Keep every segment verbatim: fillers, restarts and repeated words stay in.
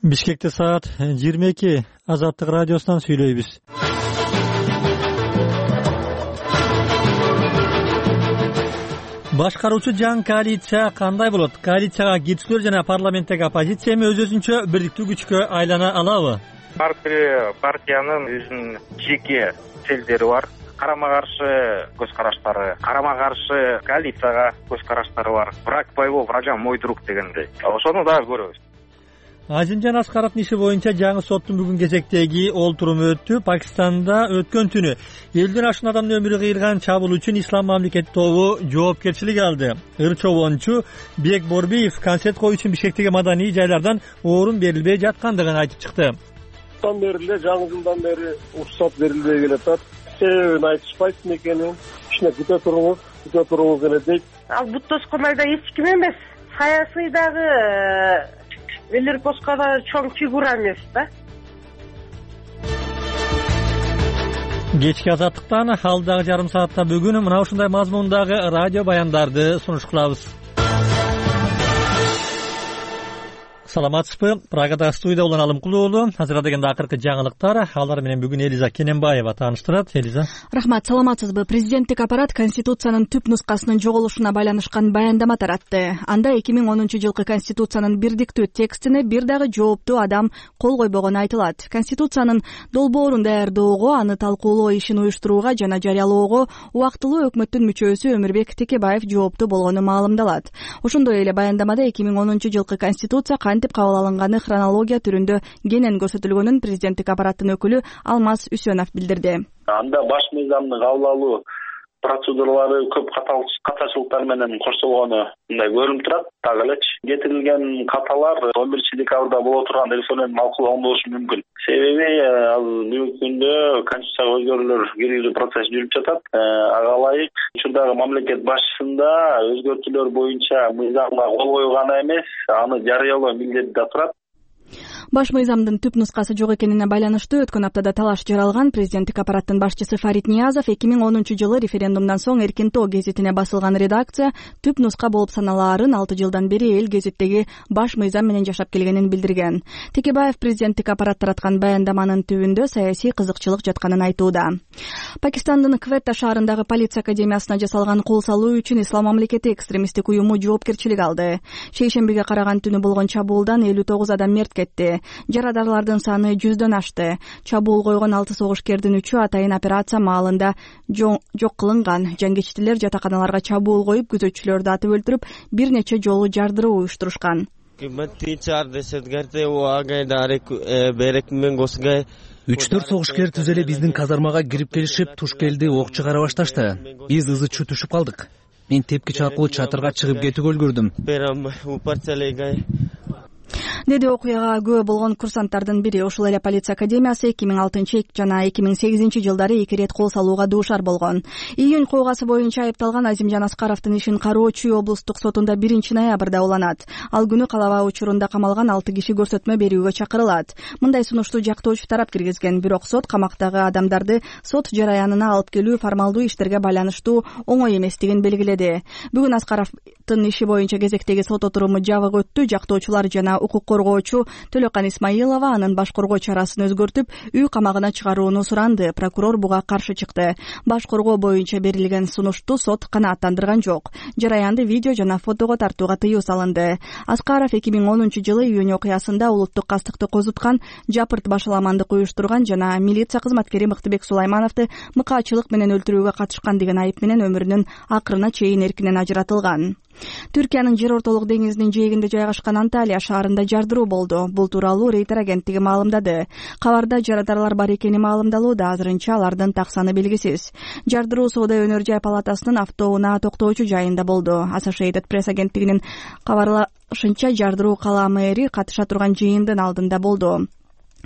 Бишкекте саат жыйырма эки. Азаттык радиосунан сүйлөйбүз. Башкаруучу жаңы коалиция кандай болот? Коалицияга кирүүчүлөр жана парламенттеги оппозиция эми өз өзүнчө бирдиктүү күчкө айлана алабы? Ар бир партиянын өзүнүн жеке целдери бар. Карама каршы көз караштары, карама каршы коалицияга көз караштары бар. Враг моего врага мой друг дегендей. Ошону дагы көрөбүз. Азимжан Аскаровдун иши боюнча жаңы соттун бүгүн кезектеги олтуруму өттү. Пакистанда өткөн түнү элден ашуун адамдын өмүрү кыйылган чабуул үчүн Ислам мамлекети тобу жоопкерчилик алды. Ыр чобончу Бек Борбиев концерт коюу үчүн Бишкектеги маданий жайлардан орун берилбей жаткандыгын айтып чыкты. Жылдан бери эле жаңы жылдан бери уруксат берилбей келатат. Себебин айтышпайт экенин, кичине күтө туруңуз, күтө туруңуз эле дейт. Ал Буттоскондай да эч ким эмес. Саясыйдагы Велерпоска да чоң фигура эмес да. Кечки азаттыктан алдагы жарым саатта бүгүн мына ушундай мазмундагы радио баяндарды сунуш кылабыз. Саламатсызбы? Прагада студияда улан Алымкулуу уулу. Азыр дегенде акыркы жаңылыктар. Алар менен бүгүн Элиза Кененбаева тааныштырат. Элиза. Рахмат, саламатсызбы? Президенттик аппарат Конституциянын түп нускасынын жоголушуна байланышкан баяндама таратты. Анда эки миң онунчу жылкы Конституциянын бирдиктүү текстине бир дагы жооптуу адам кол койбогону айтылат. Конституциянын долбоорун даярдоого, аны талкуулоо ишин уюштурууга жана жарыялоого убактылуу өкмөттүн мүчөсү Өмүрбек Текебаев жооптуу болгону маалымдалат. Ошондой эле баяндамада эки миң онунчу жылкы Конституция кантип кабыл алынганы хронология түрүндө кенен көрсөтүлгөнүн президенттик аппараттын өкүлү Алмаз Үсөнов билдирди. Анда баш мыйзамдын кабыл алуу процедуралары көп катачылыктар менен коштолгону мындай көрүнүп турат. Так элечи кетирилген каталар он биринчи декабрда боло турган референдум малкуланган болушу мүмкүн. Себеби ал бүгүнкү күндө конституцияга өзгөрүүлөр киргизүү процесси жүрүп жатат. Ага ылайык учурдагы мамлекет башчысында өзгөртүүлөр боюнча мыйзамга кол коюу гана эмес, аны жарыялоо милдети да турат. Баш мыйзамдын түп нускасы жок экенине байланыштуу өткөн аптада талаш жаралган. Президенттик аппараттын башчысы Фарид Ниязов эки миң онунчу жылы референдумдан соң Эркин тоо гезитине басылган редакция түп нуска болуп саналаарын алты жылдан бери эл гезиттеги баш мыйзам менен жашап келгенин билдирген. Текебаев президенттик аппарат тараткан баяндаманын түбүндө саясий кызыкчылык жатканын айтууда. Пакистандын Кветта шаарындагы полиция академиясына жасалган кол салуу үчүн Ислам мамлекети экстремисттик уюму жоопкерчилик алды. Шейшембиге караган түнү болгон чабуулдан элүү тогуз адам мерт кетти. Жарадарлардын саны жүздөн ашты. Чабуул койгон алты согушкердин үчөө атайын операция маалында жок кылынган. Жангечтилер жатаканаларга чабуул коюп, күзөтчүлөрдү атып өлтүрүп, бир нече жолу жардыруу уюштурушкан. үч төрт согушкер түз эле биздин казармага кирип келишип, туш келди, ок чыгара башташты. Биз ызы-чуу түшүп калдык. Мен тепкич аркылуу чатырга чыгып кетүүгө үлгүрдүм, деди окуяга күбө болгон курсанттардын бири. Ушул эле полиция академиясы эки миң алтынчы жана эки миң сегизинчи жылдары эки ирет кол салууга дуушар болгон. Июнь кылгасы боюнча айыпталган Азимжан Аскаровдун ишин кароо Чүй облустук сотунда биринчи ноябрда уланат. Ал күнү калабаа учурунда камалган алты киши көрсөтмө берүүгө чакырылат. Мындай сунушту жактоочу тарап киргизген, бирок сот камактагы адамдарды сот жараянына алып келүү формалдуу иштерге байланыштуу оңой эместигин белгиледи. Бүгүн Аскаровдун иши боюнча кезектеги сот отуруму жабык өттү. Жактоочулар жана укук коргоочу Төлөкан Исмаилова анын баш коргоо чарасын өзгөртүп, үй камагына чыгарууну суранды. Прокурор буга каршы чыкты. Баш коргоо боюнча берилген сунушту сот канааттандырган жок. Жараянды видео жана фотого тартууга тыюу салынды. Аскаров эки миң онунчу жылы июнь окуясында улуттук кастыкты козуткан, жапырт башаламандык уюштурган жана милиция кызматкери Мыктыбек Сулаймановду мыкаачылык менен өлтүрүүгө катышкан деген айып менен өмүрүнүн акырына чейин эркинен ажыратылган. Түркиянын жер ортолук деңизинин жээгинде жайгашкан Анталия шаарында жардыруу болду. Бул тууралуу Рейтер агенттиги маалымдады. Кабарда жарадарлар бар экени маалымдалууда. Азырынча алардын так саны белгисиз. Жардыруу Соода өнөр жай палатасынын автоунаа токтоочу жайында болду. Associated Press агенттигинин кабарлашынча жардыруу кала мэри катыша турган жыйындын алдында болду.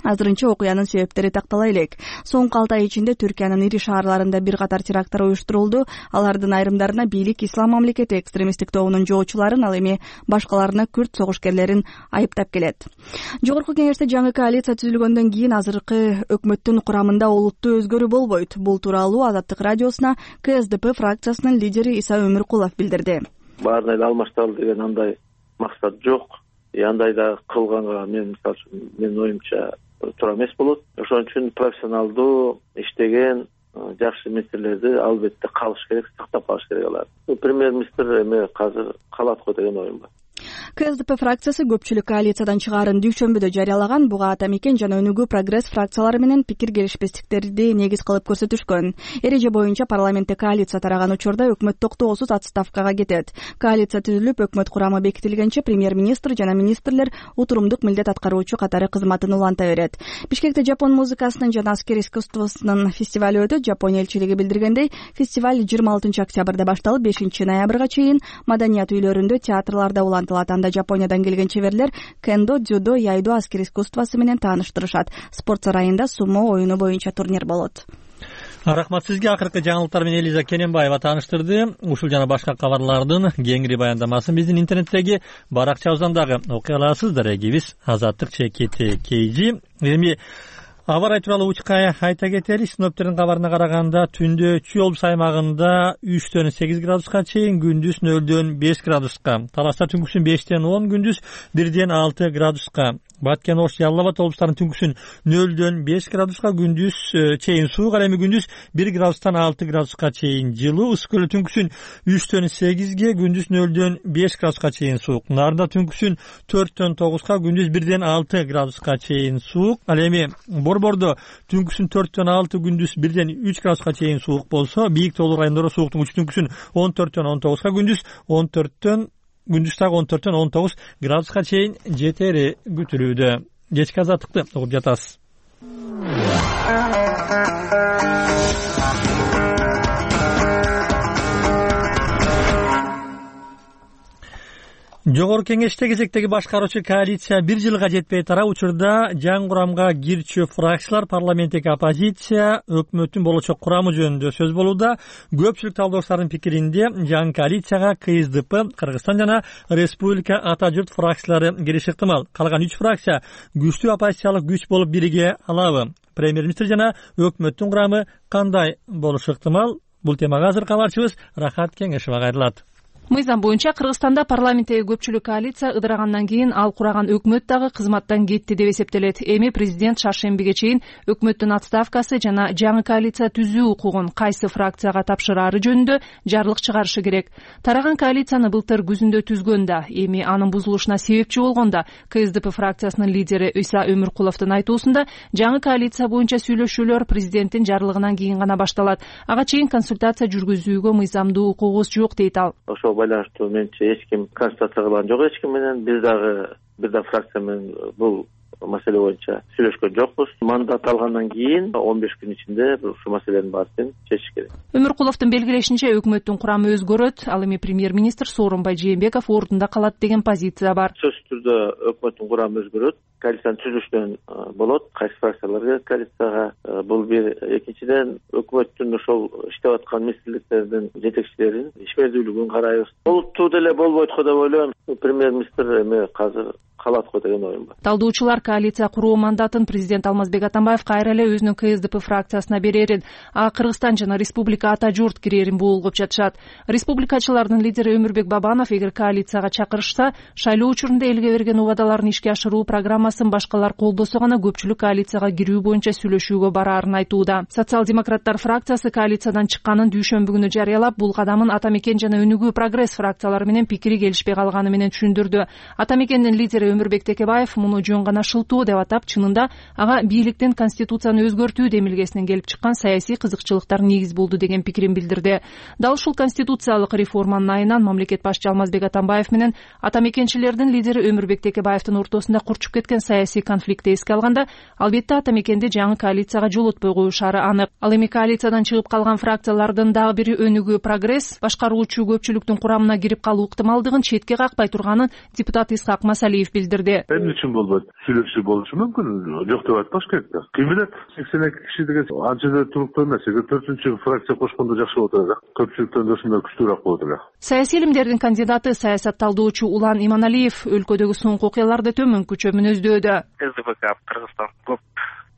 Азырынча окуянын себептери тактала элек. Соңку алты ай ичинде Түркиянын ири шаарларында бир катар теракттар уюштурулду. Алардын айрымдарына бийлик Ислам мамлекети экстремисттик тобунун жоочуларын, ал эми башкаларына күрд согушкерлерин айыптап келет. Жогорку кеңеште жаңы коалиция түзүлгөндөн кийин азыркы өкмөттүн курамында олуттуу өзгөрүү болбойт. Бул тууралуу Азаттык радиосуна К С Д П фракциясынын лидери Иса Өмүркулов билдирди. Баарына алмаштыралы деген андай максат жок. андай да кылганга мен мисалы үчүн менин оюмча туура эмес болот. Ошон үчүн профессионалдуу иштеген жакшы министрлерди албетте калыш керек, сактап калыш керек алар. Премьер-министр эме азыр калат го деген оюм бар. КСДП фракциясы көпчүлүк коалициядан чыгаарын дүйшөмбүдө жарыялаган. Буга Ата Мекен жана Өнүгүү прогресс фракциялары менен пикир келишпестиктерди негиз кылып көрсөтүшкөн. Эреже боюнча парламентте коалиция тараган учурда өкмөт токтоосуз отставкага кетет. Коалиция түзүлүп, өкмөт курамы бекитилгенче премьер-министр жана министрлер утурумдук милдет аткаруучу катары кызматын уланта берет. Бишкекте жапон музыкасынын жана аскер искусствосунун фестивалю өтөт. Жапония элчилиги билдиргендей, фестиваль жыйырма алтынчы октябрда башталып, бешинчи ноябрга чейин маданият үйлөрүндө, театрларда улантылат. Анда Жапониядан келген чеберлер кендо, дзюдо, яйдо, аскер искусствосу менен тааныштырышат. Спорт сарайында сумо оюну боюнча турнир болот. Рахмат сизге. Акыркы жаңылыктар менен Элиза Кененбаева тааныштырды. Ушул жана башка кабарлардын кеңири баяндамасын биздин интернеттеги баракчабыздан дагы окуй аласыздар. Эгибиз Азаттык чекити Кейжи. Эми аба ырайы тууралуу учкай айта кетели. Синоптиктердин кабарына караганда түндө Чүй облус аймагында үчтөн сегиз градуска чейин, күндүз нөлдөн беш градуска, Таласта түнкүсүн бештен он, күндүз бирден алты градуска, Баткен, Ош, Жалал Абад облустарынын түнкүсүн нөлдөн беш градуска, күндүз чейин суук, ал эми күндүз бир градустан алты градуска чейин жылуу. Ысык көлдө түнкүсүн үчтөн сегизге, күндүз нөлдөн беш градуска чейин суук. Нарында түнкүсүн төрттөн тогузга, күндүз бирден алты градуска чейин суук. Ал эми Борбордо түнкүсүн төрттөн алты, күндүз бирден үч градуска чейин суук болсо, бийик тоолуу райондордо сууктун учу түнкүсүн он төрттөн он тогузга, күндүз он төрттөн күндүз дагы он төрттөн он тогуз градуска чейин жетери күтүлүүдө. Кечки азаттыкты угуп жатасыз. Жогорку кеңеште кезектеги башкаруучу коалиция бир жылга жетпей тараа учурда жаңы курамга кирчү фракциялар, парламенттеги оппозиция, өкмөттүн болочок курамы жөнүндө сөз болууда. Көпчүлүк талдоочулардын пикиринде жаңы коалицияга КСДП, Кыргызстан жана Республика Ата журт фракциялары кириши ыктымал. Калган үч фракция күчтүү оппозициялык күч болуп бириге алабы? Премьер-министр жана өкмөттүн курамы кандай болушу ыктымал? Бул темага азыр кабарчыбыз Рахат Кеңешова кайрылат. Мыйзам боюнча Кыргызстанда парламенттеги көпчүлүк коалиция ыдырагандан кийин ал кураган өкмөт дагы кызматтан кетти деп эсептелет. Эми президент шаршембиге чейин өкмөттүн отставкасы жана жаңы коалиция түзүү укугун кайсы фракцияга тапшыраары жөнүндө жарлык чыгарышы керек. Тараган коалицияны былтыр күзүндө түзгөндө, эми анын бузулушуна себепчи болгондо КСДП фракциясынын лидери Ыйса Өмүркуловдун айтуусунда жаңы коалиция боюнча сүйлөшүүлөр президенттин жарлыгынан кийин гана башталат. Ага чейин консультация жүргүзүүгө мыйзамдуу укугубуз жок дейт ал. Байланыштуу менчи эч ким консультация кылган жок эч ким менен. Биз дагы бир да фракция менен бул маселе боюнча сүйлөшкөн жокпуз. Мандат алгандан кийин он беш күн ичинде ушул маселенин баарын чечиш керек. Өмүркуловдун белгилешинче, өкмөттүн курамы өзгөрөт. Ал эми премьер-министр Сооронбай Жээнбеков ордунда калат деген позиция бар. Сөзсүз түрдө өкмөттүн курамы өзгөрөт. Коалициянын түзүлүшүнөн болот. Кайсы фракциялар кирет коалицияга? Бул бир. Экинчиден, өкмөттүн ошол иштеп аткан министрликтердин жетекчилерин ишмердүүлүгүн карайбыз. Болупту деле болбойт го деп ойлойм. Премьер-министр эми азыр калат го деген оюм бар. Талдоочулар коалиция куруу мандатын президент Алмазбек Атамбаев кайра эле өзүнүн КСДП фракциясына берерин, а Кыргызстан жана Республика Ата журт кирерин буулгуп жатышат. Республикачылардын лидери Өмүрбек Бабанов эгер коалицияга чакырышса, шайлоо учурунда элге берген убадаларын ишке ашыруу программасын башкалар колдосо гана көпчүлүк коалицияга кирүү боюнча сүйлөшүүгө бараарын айтууда. Социал-демократтар фракциясы коалициядан чыкканын дүйшөмбү күнү жарыялап, бул кадамын Ата Мекен жана Өнүгүү прогресс фракциялары менен пикири келишпей калганы менен түшүндүрдү. Ата Мекендин лидери Өмүрбек Текебаев муну жөн гана шылтоо деп атап, чынында ага бийликтин конституцияны өзгөртүү демилгесинен келип чыккан саясий кызыкчылыктар негиз болду деген пикирин билдирди. Дал ушул конституциялык реформанын айынан мамлекет башчы Алмазбек Атамбаев менен Ата Мекенчилердин лидери Өмүрбек Текебаевдин ортосунда курчуп кеткен саясий конфликтти эске алганда, албетте Ата Мекенди жаңы коалицияга жолотпой коюшары анык. Ал эми коалициядан чыгып калган фракциялардын дагы бири Өнүгүү прогресс башкаруучу көпчүлүктүн курамына кирип калуу ыктымалдыгын четке какпай турганын депутат Исхак Масалиев билдирди. Эмне үчүн болбойт? Сүйлөшүү болушу мүмкүн. Жок деп айтпаш керек да. Ким билет, сексен эки киши деген анча да туруктуу эмес. төртүнчү фракция кошкондо жакшы болот эле. Көпчүлүктөн досунда күчтүүрөөк болот эле. Саясий илимдердин кандидаты, саясат талдоочу Улан Иманалиев өлкөдөгү соңку окуяларды төмөнкүчө мүнөздөөдө. КСДП Кыргызстан көп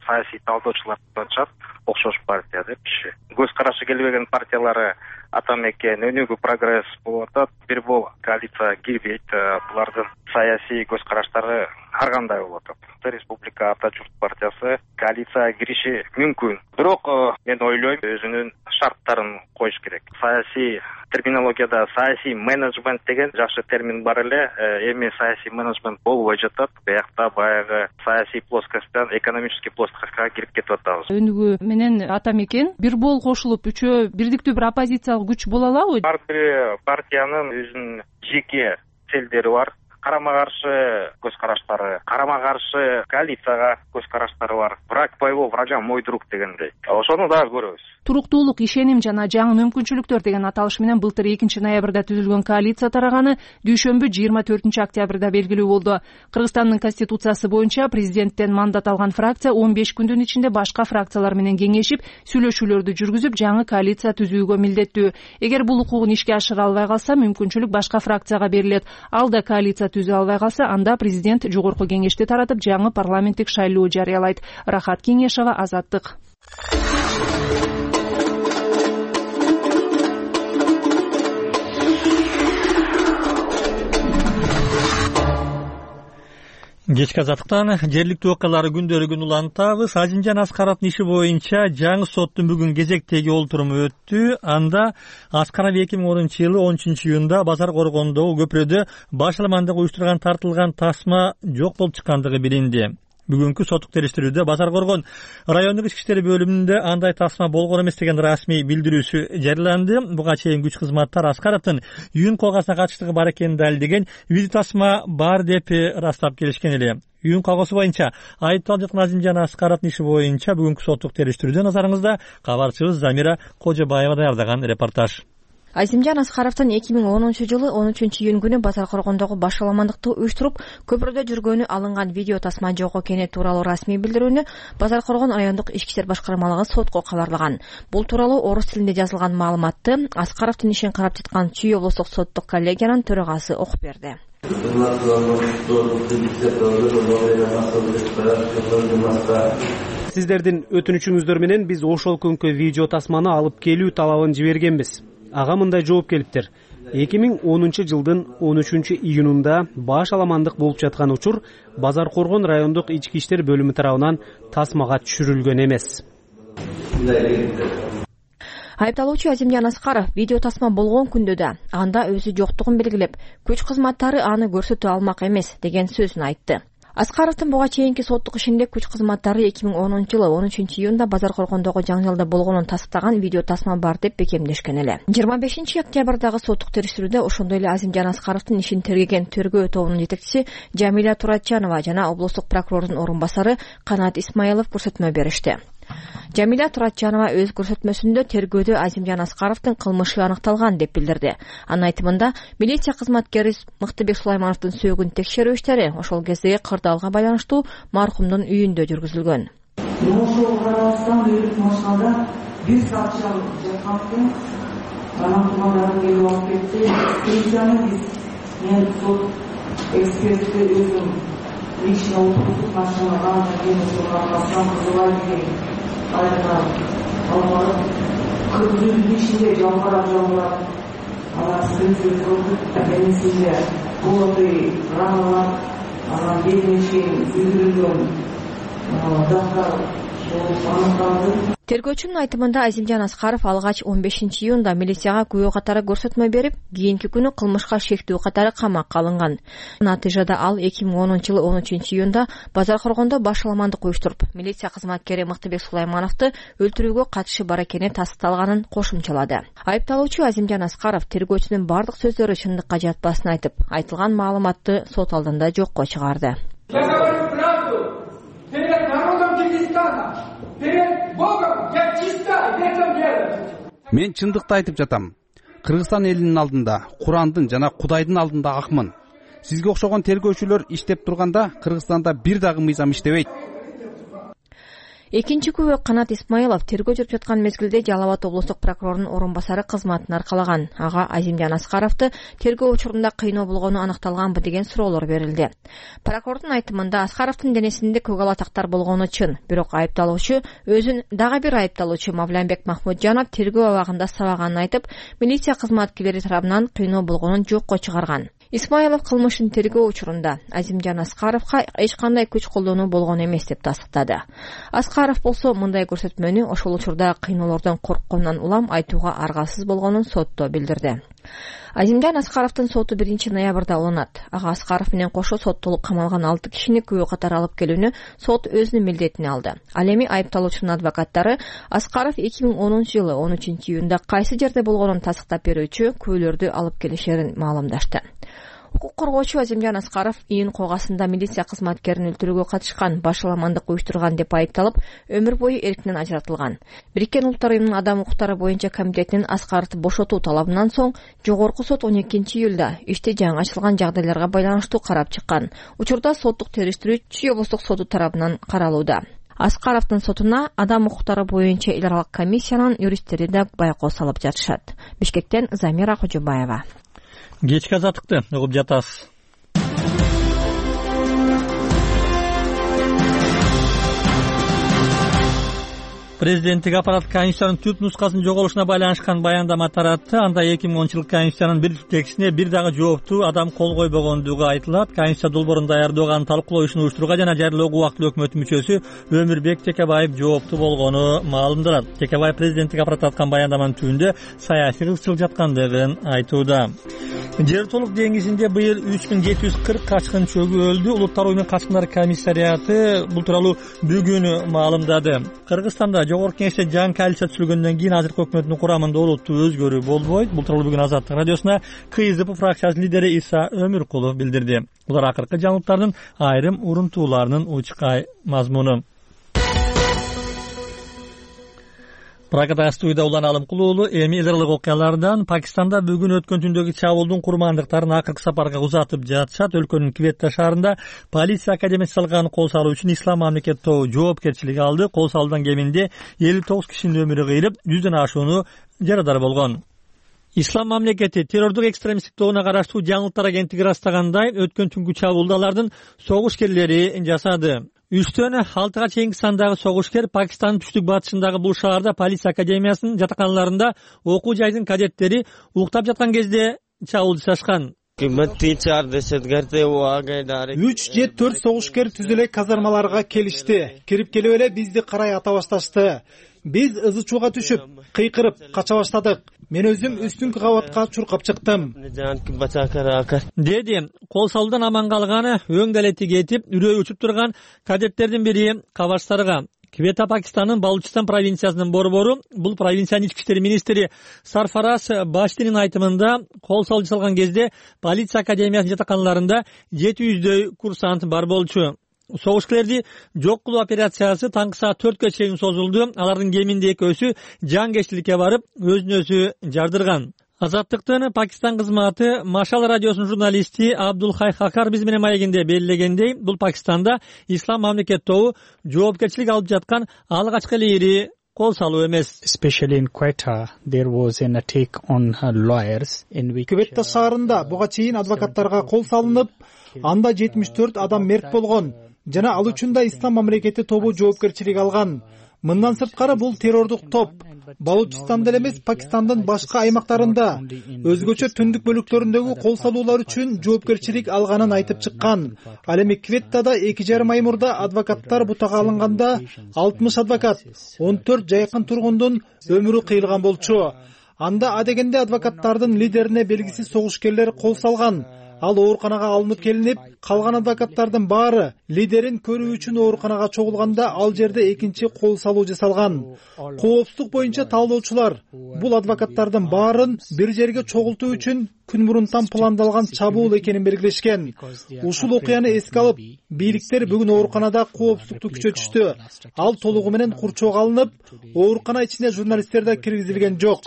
саясий талдоочулар айтышат, окшош партия депчи. Көз карашы келбеген партиялары Ата Мекен, Өнүгүү прогресс болуп атат. Бир бол коалицияга кирбейт. Булардын саясий көз караштары ар кандай болуп атат. Республика Ата журт партиясы коалицияга кириши мүмкүн. Бирок мен ойлойм, өзүнүн шарттарын коюш керек. Саясий терминологияда саясий менеджмент деген жакшы термин бар эле. Эми саясий менеджмент болбой жатат. Биякта баягы саясий плоскостьтан экономический плоскостька кирип кетип атабыз. Өнүгүү менен ата мекен бир болуп кошулуп үчөө бирдиктүү бир оппозициялык күч боло алабы? Ар бир партиянын өзүнүн жеке целдери бар. Карама каршы көз караштары, карама каршы коалицияга көз караштары бар. Враг моего врага мой друг дегендей. Ошону дагы көрөбүз. Туруктуулук, ишеним жана жаңы мүмкүнчүлүктөр деген аталыш менен былтыр экинчи ноябрда түзүлгөн коалиция тараганы дүйшөмбү жыйырма төртүнчү октябрда белгилүү болду. Кыргызстандын конституциясы боюнча президенттен мандат алган фракция он беш күндүн ичинде башка фракциялар менен кеңешип, сүйлөшүүлөрдү жүргүзүп, жаңы коалиция түзүүгө милдеттүү. Эгер бул укугун ишке ашыра албай калса, мүмкүнчүлүк башка фракцияга берилет. Ал да коалиция түзө албай калса, анда президент жогорку кеңешти таратып, жаңы парламенттик шайлоо жарыялайт. Рахат Кеңешова, Азаттык. Кечки Азаттыктан жергиликтүү окуяларды күндөрү-күн улантабыз. Азимжан Аскаровдун иши боюнча жаңы соттун бүгүн кезектеги олтуруму өттү. Анда Аскаров эки миң онунчу жылы он үчүнчү июнда Базар Коргондогу көпүрөдө башаламандык уюштурган тартылган тасма жок болуп чыккандыгы билинди. Бүгүнкү соттук териштирүүдө Базар Коргон райондук ички иштер бөлүмүндө андай тасма болгон эмес деген расмий билдирүүсү жарыяланды. Буга чейин күч кызматтар Аскаровдун үйүн калгасына катыштыгы бар экенин далилдеген видео тасма бар деп ырастап келишкен эле. Үйүн калгасы боюнча айыпталып жаткан Азимжан Аскаровдун иши боюнча бүгүнкү соттук териштирүүдө назарыңызда кабарчыбыз Замира Кожобаева даярдаган репортаж. Азимжан Аскаровдун эки миң онунчу жылы он үчүнчү июнь күнү Базар Коргондогу башаламандыкты уюштуруп, көпүрөдө жүргөнү алынган видео тасма жок экени тууралуу расмий билдирүүнү Базар Коргон райондук ички иштер башкармалыгы сотко кабарлаган. Бул тууралуу орус тилинде жазылган маалыматты Аскаровдун ишин карап жаткан Чүй облустук соттук коллегиянын төрагасы окуп берди. Сиздердин өтүнүчүңүздөр менен биз ошол күнкү видео тасманы алып келүү талабын жибергенбиз. Ага мындай жооп келиптир. эки миң онунчу жылдын он үчүнчү июнунда баш аламандык болуп жаткан учур Базар Коргон райондук ички иштер бөлүмү тарабынан тасмага түшүрүлгөн эмес. Айыпталуучу Азимжан Аскаров видео тасма болгон күндө да анда өзү жоктугун белгилеп, күч кызматтары аны көрсөтө алмак эмес деген сөзүн айтты. Аскаровдун буга чейинки соттук ишинде күч кызматтары эки миң онунчу жылы он үчүнчү июнда Базар Коргондогу жаңжалда болгонун тастыктаган видео тасма бар деп бекемдешкен эле. жыйырма бешинчи октябрдагы соттук териштирүүдө ошондой эле Азимжан Аскаровдун ишин тергеген тергөө тобунун жетекчиси Жамиля Туратжанова жана облустук прокурордун орун басары Канат Исмаилов көрсөтмө беришти. Жамиля Туратжанова өз көрсөтмөсүндө тергөөдө Азимжан Аскаровдун кылмышы аныкталган деп билдирди. Анын айтымында милиция кызматкери Мыктыбек Сулаймановдун сөөгүн текшерүү иштери ошол кездеги кырдаалга байланыштуу маркумдун үйүндө жүргүзүлгөн. Ошол карабастан өлүп машинада бир саат жаткан анан тумандарын келип алып кетти. Полицияны биз мен сот экспертти өзүм лично отургузуп машинага келип алган кызылай деген айына алып кыргыздын ичинде жалбырап жалбырап анан сөзү көрдүк менисинде болотый раналар анан бетине чейин күйдүрүлгөн дактар аныкталды. Тергөөчүнүн айтымында Азимжан Аскаров алгач он бешинчи июнда милицияга күбө катары көрсөтмө берип, кийинки күнү кылмышка шектүү катары камакка алынган. Натыйжада ал эки миң онунчу жылы он үчүнчү июнда Базар Коргондо башаламандык уюштуруп, милиция кызматкери Мыктыбек Сулаймановду өлтүрүүгө катышы бар экени тастыкталганын кошумчалады. Айыпталуучу Азимжан Аскаров тергөөчүнүн бардык сөздөрү чындыкка жатпасын айтып, айтылган маалыматты сот алдында жокко чыгарды. Перед народом Кыргызстана, перед Богом я чиста в этом деле. Мен чындыкты айтып жатам. Кыргызстан элинин алдында, Курандын жана Кудайдын алдында акмын. Сизге окшогон тергөөчүлөр иштеп турганда Кыргызстанда бир дагы мыйзам иштебейт. Экинчи күбө Канат Исмаилов тергөө жүрүп жаткан мезгилде Жалал Абад облустук прокурорунун орун басары кызматын аркалаган. Ага Азимжан Аскаровду тергөө учурунда кыйноо болгону аныкталганбы деген суроолор берилди. Прокурордун айтымында Аскаровдун денесинде көк ала тактар болгону чын, бирок айыпталуучу өзүн дагы бир айыпталуучу Мавланбек Махмуджанов тергөө абагында сабаганын айтып, милиция кызматкерлери тарабынан кыйноо болгонун жокко чыгарган. Исмаилов кылмыштын тергөө учурунда Азимжан Аскаровго эч кандай күч колдонуу болгон эмес деп тастыктады. Аскаров болсо мындай көрсөтмөнү ошол учурда кыйноолордон корккондон улам айтууга аргасыз болгонун сотто билдирди. Азимжан Аскаровдун соту биринчи ноябрда уланат. Ага Аскаров менен кошо соттолуп камалган алты кишини күбө катары алып келүүнү сот өзүнүн милдетине алды. Ал эми айыпталуучунун адвокаттары Аскаров эки миң онунчу жылы он үчүнчү июнда кайсы жерде болгонун тастыктап берүүчү күбөлөрдү алып келишерин маалымдашты. Укук коргоочу Азимжан Аскаров июнь койгасында милиция кызматкерин өлтүрүүгө катышкан, башаламандык уюштурган деп айыпталып, өмүр бою эрктен ажыратылган. Бириккен Улуттар уюмунун адам укуктары боюнча комитетинин Аскаровду бошотуу талабынан соң жогорку сот он экинчи июлда ишти жаңы ачылган жагдайларга байланыштуу карап чыккан. Учурда соттук териштирүү Чүй облустук соту тарабынан каралууда. Аскаровдун сотуна адам укуктары боюнча эл аралык комиссиянын юристтери да байкоо салып жатышат. Бишкектен Замира Кожобаева. Кечки азаттыкты угуп жатасыз. Президенттик аппарат Конституциянын түп нускасынын жоголушуна байланышкан баяндама таратты. Анда эки миң онунчу жылкы Конституциянын бир текстине бир дагы жооптуу адам кол койбогондугу айтылат. Конституция долбоорун даярдоого, аны талкуулоо ишин уюштурууга жана жарыялоого убактылуу өкмөттүн мүчөсү Өмүрбек Текебаев жооптуу болгону маалымдалат. Текебаев президенттик аппарат аткан баяндаманын түбүндө саясий кызыкчылык жаткандыгын айтууда. Жер толук деңизинде быйыл үч миң жети жүз кырк качкын чөгүлдү. Улуттар уюмунун качкындар комиссариаты бул тууралуу бүгүн маалымдады. Кыргызстанда Жогорку Кеңеште жаңы коалиция түзүлгөндөн кийин азыркы өкмөттүн курамында олуттуу өзгөрүү болбойт. Бул тууралуу бүгүн Азаттык радиосуна КСДП фракциясынын лидери Иса Өмүркулов билдирди. Булар акыркы жаңылыктардын айрым урунтууларынын учкай мазмуну. Прагада студияда Улан Алымкулуу уулу. Эми эл аралык окуялардан Пакистанда бүгүн өткөн түндөгү чабуулдун курмандыктарын акыркы сапарга узатып жатышат. Өлкөнүн Кветта шаарында полиция академиясы салган кол салуу үчүн Ислам мамлекет тобу жоопкерчилик алды. Кол салуудан кеминде элүү тогуз кишинин өмүрү кыйылып, жүздөн ашууну жарадар болгон. Ислам мамлекети террордук экстремисттик тобуна караштуу жаңылыктар агенттиги ырастагандай, өткөн түнкү чабуулду алардын согушкерлери жасады. Үчтөн алтыга чейинки сандагы согушкер Пакистандын түштүк батышындагы бул шаарда полиция академиясынын жатаканаларында окуу жайдын кадеттери уктап жаткан кезде чабуул жасашкан. үч же төрт согушкер түз эле казармаларга келишти. Кирип келип эле бизди карай ата башташты. Биз ызы чууга түшүп, кыйкырып кача баштадык. Мен өзүм үстүнкү кабатка чуркап чыктым, деди. Кол салуудан аман калганы өң далети кетип, үрөйү учуп турган кадеттердин бири Кабарстарга. Квета Пакистандын Балучистан провинциясынын борбору, бул провинциянын ички иштер министри Сарфараз Баштинин айтымында, кол салуу жасалган кезде полиция академиясынын жатаканаларында жети жүздөй курсант бар болчу. Согушкерлерди жок кылуу операциясы таңкы саат төрткө чейин созулду. Алардын кеминде экөөсү жангечтиликке барып, өзүн өзү жардырган. Азаттыктын Пакистан кызматы Машал радиосунун журналисти Абдулхай Хакар биз менен маегинде белгилегендей, бул Пакистанда Ислам мамлекет тобу жоопкерчилик алып жаткан алгачкы эле ири кол салуу эмес. Кветта шаарында буга чейин адвокаттарга кол салынып, анда жетимиш төрт адам мерт болгон жана ал үчүн да Ислам мамлекети тобу жоопкерчилик алган. Мындан сырткары бул террордук топ Балучистанда эле эмес, Пакистандын башка аймактарында өзгөчө түндүк бөлүктөрүндөгү кол салуулар үчүн жоопкерчилик алганын айтып чыккан. Ал эми Кветтада эки жарым ай мурда адвокаттар бутага алынганда алтымыш адвокат, он төрт жайкын тургундун өмүрү кыйылган болчу. Анда адегенде адвокаттардын лидерине белгисиз согушкерлер кол салган. Ал ооруканага алынып келинип, калган адвокаттардын баары лидерин көрүү үчүн ооруканага чогулганда ал жерде экинчи кол салуу жасалган. Коопсуздук боюнча талдоочулар бул адвокаттардын баарын бир жерге чогултуу үчүн күн мурунтан пландалган чабуул экенин белгилешкен. Ушул окуяны эске алып, бийликтер бүгүн ооруканада коопсуздукту күчөтүштү. Ал толугу менен курчоого алынып, оорукана ичине журналисттер да киргизилген жок.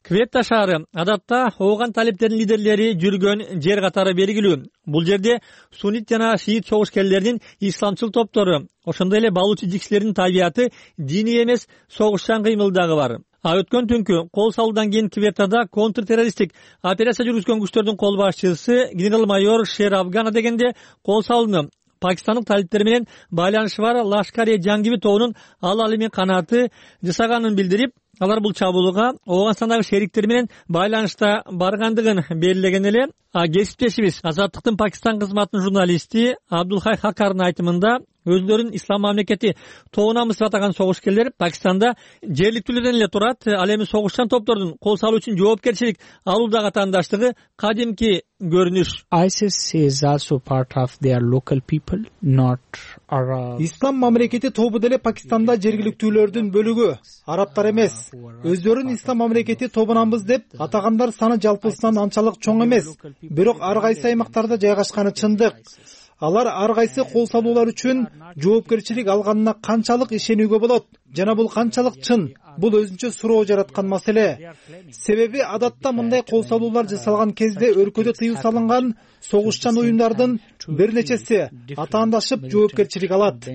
Кветта шаары адатта ооган талиптердин лидерлери жүргөн жер катары белгилүү. Бул жерде суннит жана шиит согушкерлердин исламчыл топтору, ошондой эле балучи жиксилердин табияты диний эмес согушчан кыймылдагы бар. А өткөн түнкү кол салуудан кийин Кветтада контртеррористтик операция жүргүзгөн күчтөрдүн кол башчысы генерал-майор Шер Афгана дегенде кол салууну Пакистандык талиптер менен байланышы бар Лашкар-e Жангиби тобунун ал алими канаты жасаганын билдирип, алар бул чабуулга Ооганстандагы шериктери менен байланышта баргандыгын белгилеген эле. Кесиптешибиз Азаттыктын Пакистан кызматынын журналисти Абдулхай Хакардын айтымында өзлөрүн ислам мамлекети тобунанбыз деп атаган согушкерлер Пакистанда жергиликтүүлөрдөн эле турат. Ал эми согушчан топтордун кол салуу үчүн жоопкерчилик алуудагы атаандаштыгы кадимки көрүнүш. ISIS is also part of their local people, not Arab. Ислам мамлекети тобу деле Пакистанда жергиликтүүлөрдүн бөлүгү, арабтар эмес. Өздөрүн ислам мамлекети тобунанбыз деп атагандар саны жалпысынан анчалык чоң эмес. Бирок ар кайсы аймактарда жайгашканы чындык. Алар ар кайсы кол салуулар үчүн жоопкерчилик алганына канчалык ишенүүгө болот жана бул канчалык чын? Бул өзүнчө суроо жараткан маселе. Себеби адатта мындай кол салуулар жасалган кезде өлкөдө тыюу салынган согушчан уюмдардын бир нечеси атаандашып жоопкерчилик алат.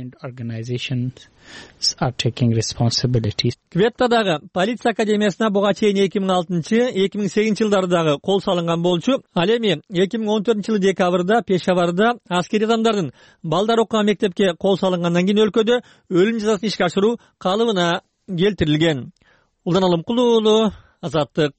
Кветтадагы полиция академиясына буга чейин эки миң алтынчы эки миң сегизинчи жылдардагы кол салынган болчу. Ал эми эки миң он төртүнчү жылы декабрда Пешаварда аскери адамдардын балдар окуган мектепке кол салынгандан кийин өлкөдө өлүм жазасын ишке ашыруу калыбына келтирилген. Улдан Алымкул уулу, Азаттык.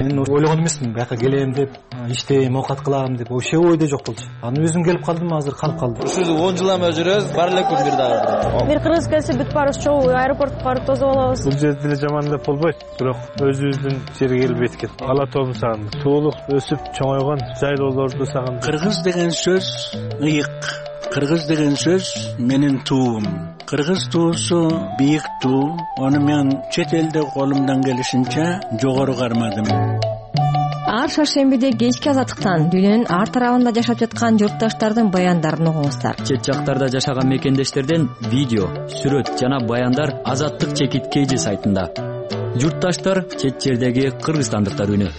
Мен ойлогон эмесмин, бияка келем деп, иштейм, оокат кылам деп, вообще ойдо жок болчу. Аны өзүм келип калдым, азыр калып калдым. Ушул он жылдан бери жүрөбүз, бар эле күн бир дагы. Бир кыргыз келсе бүт барыбыз чогуу аэропортко барып тосуп алабыз. Бул жерде деле жаман деп болбойт, бирок өзүбүздүн жерге келип эткет. Ала тобун сагындым. Суулук өсүп чоңойгон жайлоолорду сагындым. Кыргыз деген сөз ыйык. Кыргыз деген сөз менин туум. Кыргыз туусу бийик туу. Аны мен чет элде колумдан келишинче жогору кармадым. Ар шаршембиде кечки Азаттыктан дүйнөнүн ар тарабында жашап жаткан журтташтардын баяндарын угуңуздар. Чет жактарда жашаган мекендештерден видео, сүрөт жана баяндар Азаттык чекит кейжи сайтында. Журтташтар чет жердеги кыргызстандыктар үнү.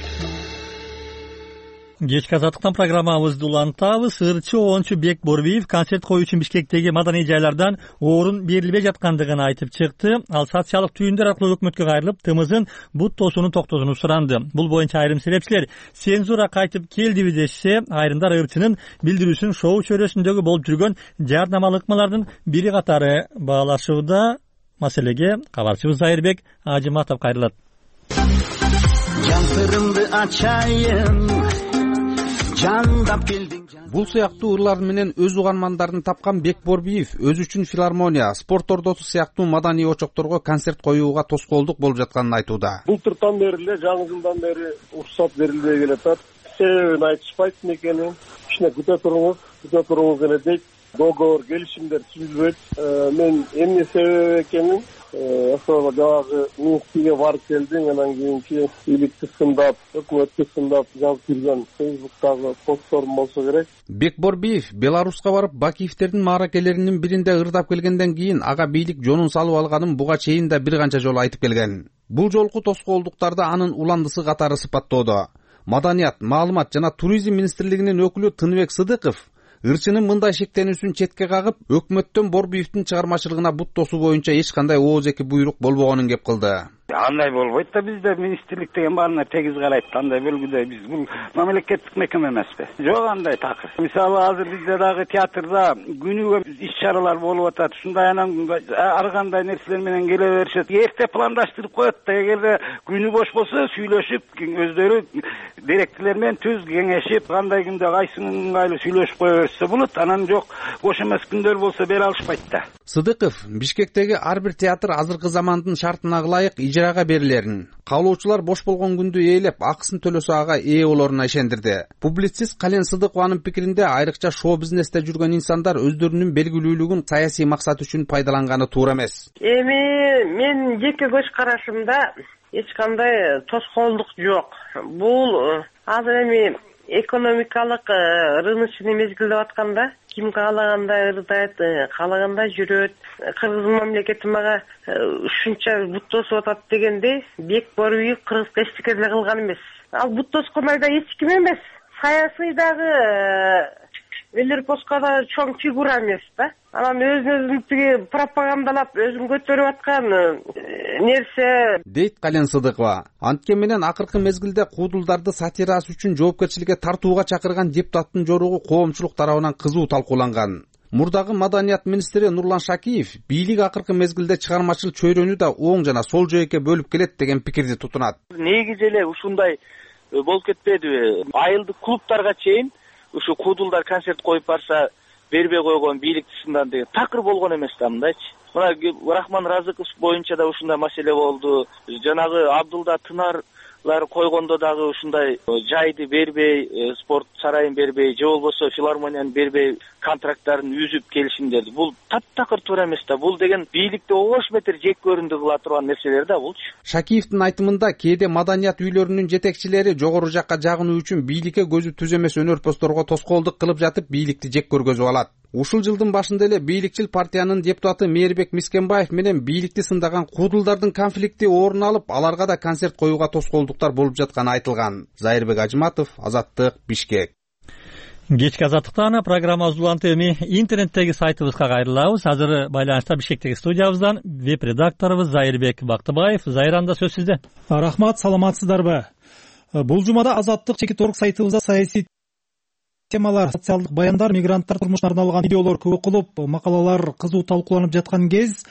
Кечки Азаттыктан программабызды улантабыз. Ырчы оончу Бек Борбиев концерт коюу үчүн Бишкектеги маданий жайлардан орун берилбей жаткандыгын айтып чыкты. Ал социалдык түйүндөр аркылуу өкмөткө кайрылып, тымызын бут тосууну токтотууну суранды. Бул боюнча айрым себепчилер цензура кайтып келдиби дешсе, айрымдар ырчынын билдирүүсүн шоу чөйрөсүндөгү болуп жүргөн жардамалык ыкмалардын бири катары баалашууда. Маселеге кабарчыбыз Айырбек Ажыматов кайрылат. Жантырымды ачайын. Бул сыяктуу ырлар менен өз угармандарын тапкан Бек Борбиев өзү үчүн филармония, спорт ордосу сыяктуу маданий очокторго концерт коюуга тоскоолдук болуп жатканын айтууда. Былтыртан бери эле жаңы жылдан бери уруксат берилбей келатат. Себебин айтышпайт экенин. Кичине күтө туруңуз, күтө туруңуз эле дейт. Договор, келишимдер түзүлбөйт. Мен эмне себеп экенин ошол жанагы Минскиге барып келдим, анан кийинки бийликти сындап, өкмөттү сындап жазып жүргөн Фейсбуктагы постторум болсо керек. Бек Борбиев Беларуска барып Бакиевтердин мааракелеринин биринде ырдап келгенден кийин ага бийлик жонун салып алганын буга чейин да бир канча жолу айтып келген. Бул жолку тоскоолдуктарды анын уландысы катары сыпаттоодо. Маданият, маалымат жана туризм министрлигинин өкүлү Тыныбек Сыдыков ырчынын мындай шектенүүсүн четке кагып, өкмөттөн Борбиевдин чыгармачылыгына бут тосуу боюнча эч кандай оозеки буйрук болбогонун кеп кылды. Андай болбойт да, бизде министрлик деген баарына тегиз карайт. Андай бөлгүдө биз бул мамлекеттик мекеме эмеспи? Жок андай такыр. Мисалы азыр бизде дагы театрда күнүгө иш-чаралар болуп атат. Ушундай анан ар кандай нерселер менен келе беришет. Эрте пландаштырып коет да, эгерде күнү бош болсо сүйлөшүп, өздөрү директорлор менен түз кеңешип, кандай күндө кайсынын ыңгайлуу сүйлөшүп кое берсе болот. Анан жок, бош эмес күндөр болсо бере алышпайт да. Сыдыков Бишкектеги ар бир театр азыркы замандын шартына ылайык ижарага берилерин, каалоочулар бош болгон күндү ээлеп, акысын төлөсө ага ээ болоруна ишендирди. Публицист Кален Сыдыкованын пикиринде, айрыкча шоу бизнесте жүргөн инсандар өздөрүнүн белгилүүлүгүн саясий максат үчүн пайдаланганы туура эмес. Эми мен жеке көз карашымда эч кандай тоскоолдук жок. Бул азыр эми экономикалык рыночный мезгил деп атканда, ким каалагандай ырдайт, каалагандай жүрөт. Кыргыз мамлекети мага ушунча бут тосуп атат дегенде, Бек Борбиев кыргызга эчтеке деле кылган эмес. Ал бут тоскон айда эч ким эмес. Саясыйдагы Велерпоска да чоң фигура эмес да. Анан өзүн тиги пропагандалап, өзүн көтөрүп аткан нерсе дейт Кален Сыдыкова. Анткен менен акыркы мезгилде куудулдарды сатирасы үчүн жоопкерчиликке тартууга чакырган депутаттын жоругу коомчулук тарабынан кызуу талкууланган. Мурдагы маданият министри Нурлан Шакиев бийлик акыркы мезгилде чыгармачыл чөйрөнү да оң жана сол жөөккө бөлүп келет деген пикирди тутунат. Негизи эле ушундай болуп кетпедиби? Айылдык клубтарга чейин ушу куудулдар концерт коюп барса бербей койгон бийлик тышынан деген такыр болгон эмес да мындайчы. Мына Рахман Разыков боюнча да ушундай маселе болду. Жанагы Абдулда Тынарлар койгондо дагы ушундай жайды бербей, спорт сарайын бербей, же болбосо филармонияны бербей контракттарын үзүп келишимдерди. Бул таптакыр туура эмес да. Бул деген бийликти ош метр жек көрүндү кыла турган нерселер да булчу. Шакиевдин айтымында кээде маданият үйлөрүнүн жетекчилери жогору жакка жагынуу үчүн бийликке көзү түз эмес өнөрпөстөргө тоскоолдук кылып жатып бийликти жек көргөзүп алат. Ушул жылдын башында эле бийликчил партиянын депутаты Мээрбек Мискенбаев менен бийликти сындаган куудулдардын конфликти орун алып, аларга да концерт коюуга тоскоолдуктар болуп жатканы айтылган. Зайырбек Ажыматов, Азаттык, Бишкек. Кечки Азаттыктан программабыз уланты эми интернеттеги сайтыбызга кайрылабыз. Азыр байланышта Бишкектеги студиябыздан веб редакторубуз Зайырбек Бактыбаев. Зайранда сөз сизде. Рахмат, саламатсыздарбы? Бул жумада Азаттык чекит орг сайтыбызда саясий темалар, социалдык баяндар, мигранттар турмушуна арналган видеолор көп окулуп, макалалар кызуу талкууланып жаткан кез,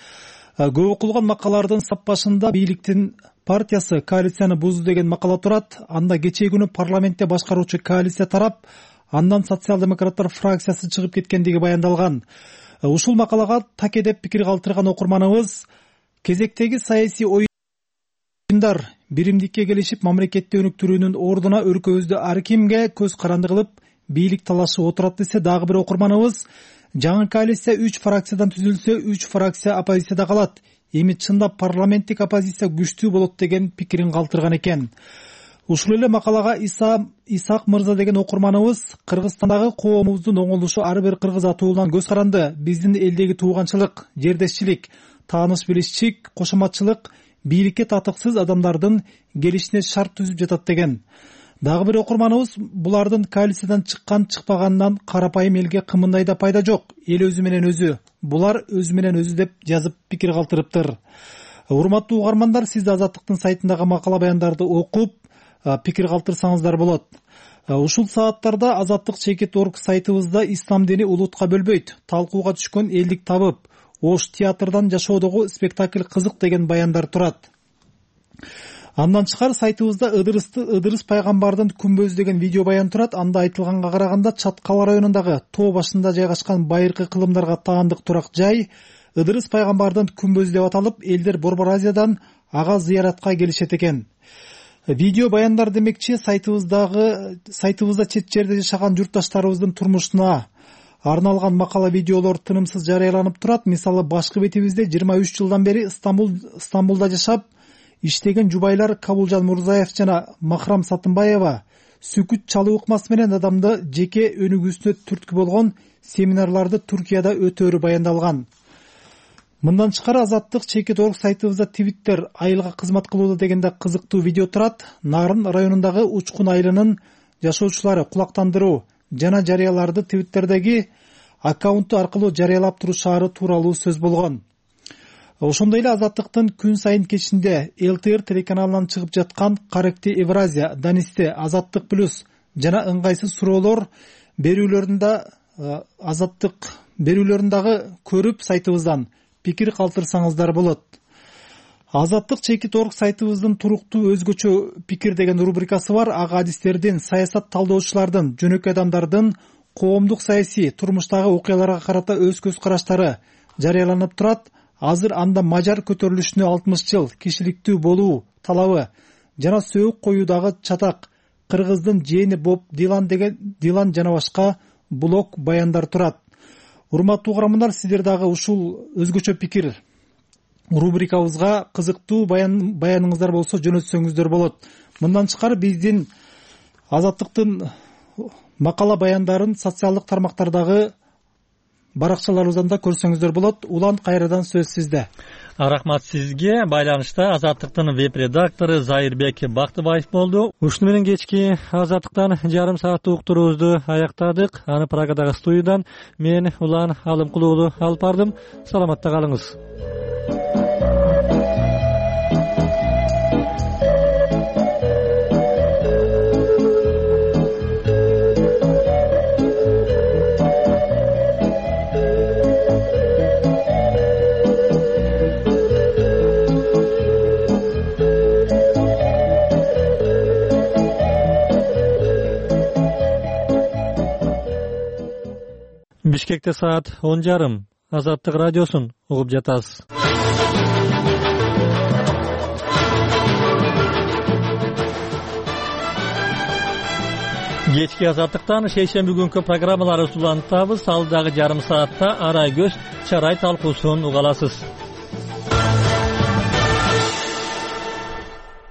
көп окулган макалалардын сап башында бийликтин партиясы коалицияны бузду деген макала турат. Анда кечээ күнү парламентте башкаруучу коалиция тарап, андан социал-демократтар фракциясы чыгып кеткендиги баяндалган. Ушул макалага таке деп пикир калтырган окурманыбыз кезектеги саясий оюндар биримдикке келишип мамлекетти өнүктүрүүнүн ордуна өлкөбүздө ар кимге көз каранды кылып бийлик талашып отурат десе, дагы бир окурманыбыз жаңы коалиция үч фракциядан түзүлсө, үч фракция оппозицияда калат. Эми чындап парламенттик оппозиция күчтүү болот деген пикирин калтырган экен. Ушул эле макалага Иса Исак мырза деген окурманыбыз Кыргызстандагы коомубуздун оңолушу ар бир кыргыз атуулан көз каранды. Биздин элдеги тууганчылык, жердешчилик, тааныш билишчилик, кошоматчылык бийликке татыксыз адамдардын келишине шарт түзүп жатат деген. Дагы бир окурманыбыз булардын коалициядан чыккан чыкпаганынан карапайым элге кымындай да пайда жок. Эл өзү менен өзү, булар өзү менен өзү деп жазып пикир калтырыптыр. Урматтуу угармандар, сиз да Азаттыктын сайтындагы макала баяндарды окуп пикир калтырсаңыздар болот. Ушул сааттарда Азаттык чекит орг сайтыбызда ислам дини улутка бөлбөйт, талкууга түшкөн элдик табып, Ош театрдан жашоодогу спектакль кызык деген баяндар турат. Андан тышкары сайтыбызда Ыдырысты Ыдырыс пайгамбардын күмбөзү деген видео баян турат. Анда айтылганга караганда Чаткал районундагы тоо башында жайгашкан байыркы кылымдарга таандык турак жай Ыдырыс пайгамбардын күмбөзү деп аталып, элдер Борбор Азиядан ага зыяратка келишет экен. Видео баяндар демекчи сайтыбыздагы сайтыбызда чет жерде жашаган журтташтарыбыздын турмушуна арналган макала видеолор тынымсыз жарыяланып турат. Мисалы, башкы бетибизде жыйырма үч жылдан бери Стамбул Стамбулда жашап иштеген жубайлар Кабулжан Мурзаев жана Махрам Сатынбаева сүкүт чалуу ыкмасы менен адамды жеке өнүгүүсүнө түрткү болгон семинарларды Туркияда өтөөрү баяндалган. Мындан тышкары Азаттык чекит орг сайтыбызда Твиттер айылга кызмат кылууда дегенде кызыктуу видео турат. Нарын районундагы Учкун айылынын жашоочулары кулактандыруу жана жарыяларды Твиттердеги аккаунту аркылуу жарыялап турушаары тууралуу сөз болгон. Ошондой эле Азаттыктын күн сайын кечинде эл тэ эр телеканалынан чыгып жаткан Каректи Евразия, Данисте, Азаттык плюс жана ыңгайсыз суроолор берүүлөрүндө Азаттык берүүлөрүндагы көрүп сайтыбыздан пикир калтырсаңыздар болот. Азаттык чекит орг сайтыбыздын туруктуу өзгөчө пикир деген рубрикасы бар. Ага адистердин, саясат талдоочулардын, жөнөкөй адамдардын коомдук саясий турмуштагы окуяларга карата өз көз караштары жарыяланып турат. Азыр анда мажар көтөрүлүшүнө алтымыш жыл, кишиликтүү болуу талабы жана сөөк коюудагы чатак, кыргыздын жээни Боб Дилан деген Дилан жана башка блог баяндар турат. Урматтуу угармандар, сиздер дагы ушул өзгөчө пикир рубрикабызга кызыктуу баян баяныңыздар болсо жөнөтсөңүздөр болот. Мындан тышкары биздин Азаттыктын макала баяндарын социалдык тармактардагы баракчаларыбыздан да көрсөңүздөр болот. Улан, кайрадан сөз сизде. Рахмат сизге. Байланышта Азаттыктын веб редактору Зайырбек Бактыбаев болду. Ушуну менен кечки Азаттыктан жарым сааттык уктуруубузду аяктадык. Аны Прагадагы студиядан мен Улан Алымкулуулу алып бардым. Саламатта калыңыз. Бишкекте саат он жарым. Азаттык радиосун угуп жатасыз. Кечки Азаттыктан шейшемби күнкү программаларды улантабыз. Ал дагы жарым саатта арай көз чарай талкуусун уга аласыз.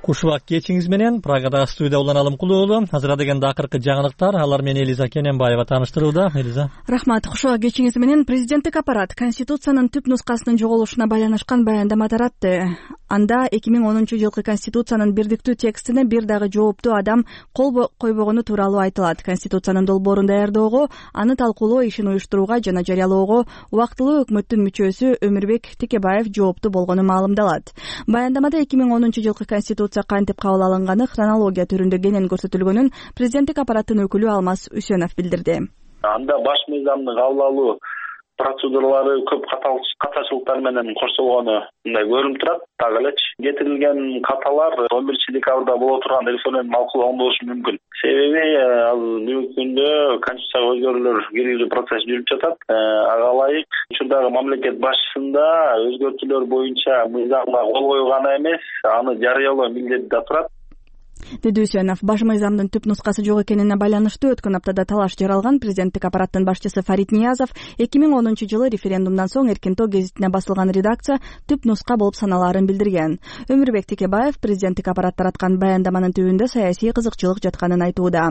Кушубак кечиңиз менен Прагада студия улан Алымкулуу уулу. Азыр дегенде акыркы жаңылыктар, алар менен Элиза Кененбаева тааныштырууда. Элиза. Рахмат. Кушубак кечиңиз менен президенттик аппарат Конституциянын түп нускасынын жоголушуна байланышкан баяндама таратты. Анда эки миң онунчу жылкы Конституциянын бирдиктүү текстине бир дагы жооптуу адам кол койбогону тууралуу айтылат. Конституциянын долбоорун даярдоого, аны талкуулоо ишин уюштурууга жана жарыялоого убактылуу өкмөттүн мүчөсү Өмүрбек Текебаев жооптуу болгону маалымдалат. Баяндамада эки миң онунчу жылкы Конституция кантип кабыл алынганы хронология түрүндө кенен көрсөтүлгөнүн президенттик аппараттын өкүлү Алмаз Үсөнов билдирди. Анда баш мыйзамды кабыл алуу процедуралары көп катачылыктар менен коршолгону мындай көрүнүп турат. Так элечи кетирилген каталар он биринчи декабрда боло турган референдум талкуулоого болушу мүмкүн. Себеби ал бүгүнкү күндө конституцияга өзгөрүүлөр киргизүү процесси жүрүп жатат. Ага ылайык учурдагы мамлекет башчысында өзгөртүүлөр боюнча мыйзамга кол коюу гана эмес, аны жарыялоо милдети да турат. Деди Үсөнов. Баш мыйзамдын түп нускасы жок экенине байланыштуу өткөн аптада талаш жаралган президенттик аппараттын башчысы Фарид Ниязов эки миң онунчу жылы референдумдан соң Эркинтоо гезитине басылган редакция түп нуска болуп саналаарын билдирген. Өмүрбек Текебаев президенттик аппарат тараткан баяндаманын түбүндө саясий кызыкчылык жатканын айтууда.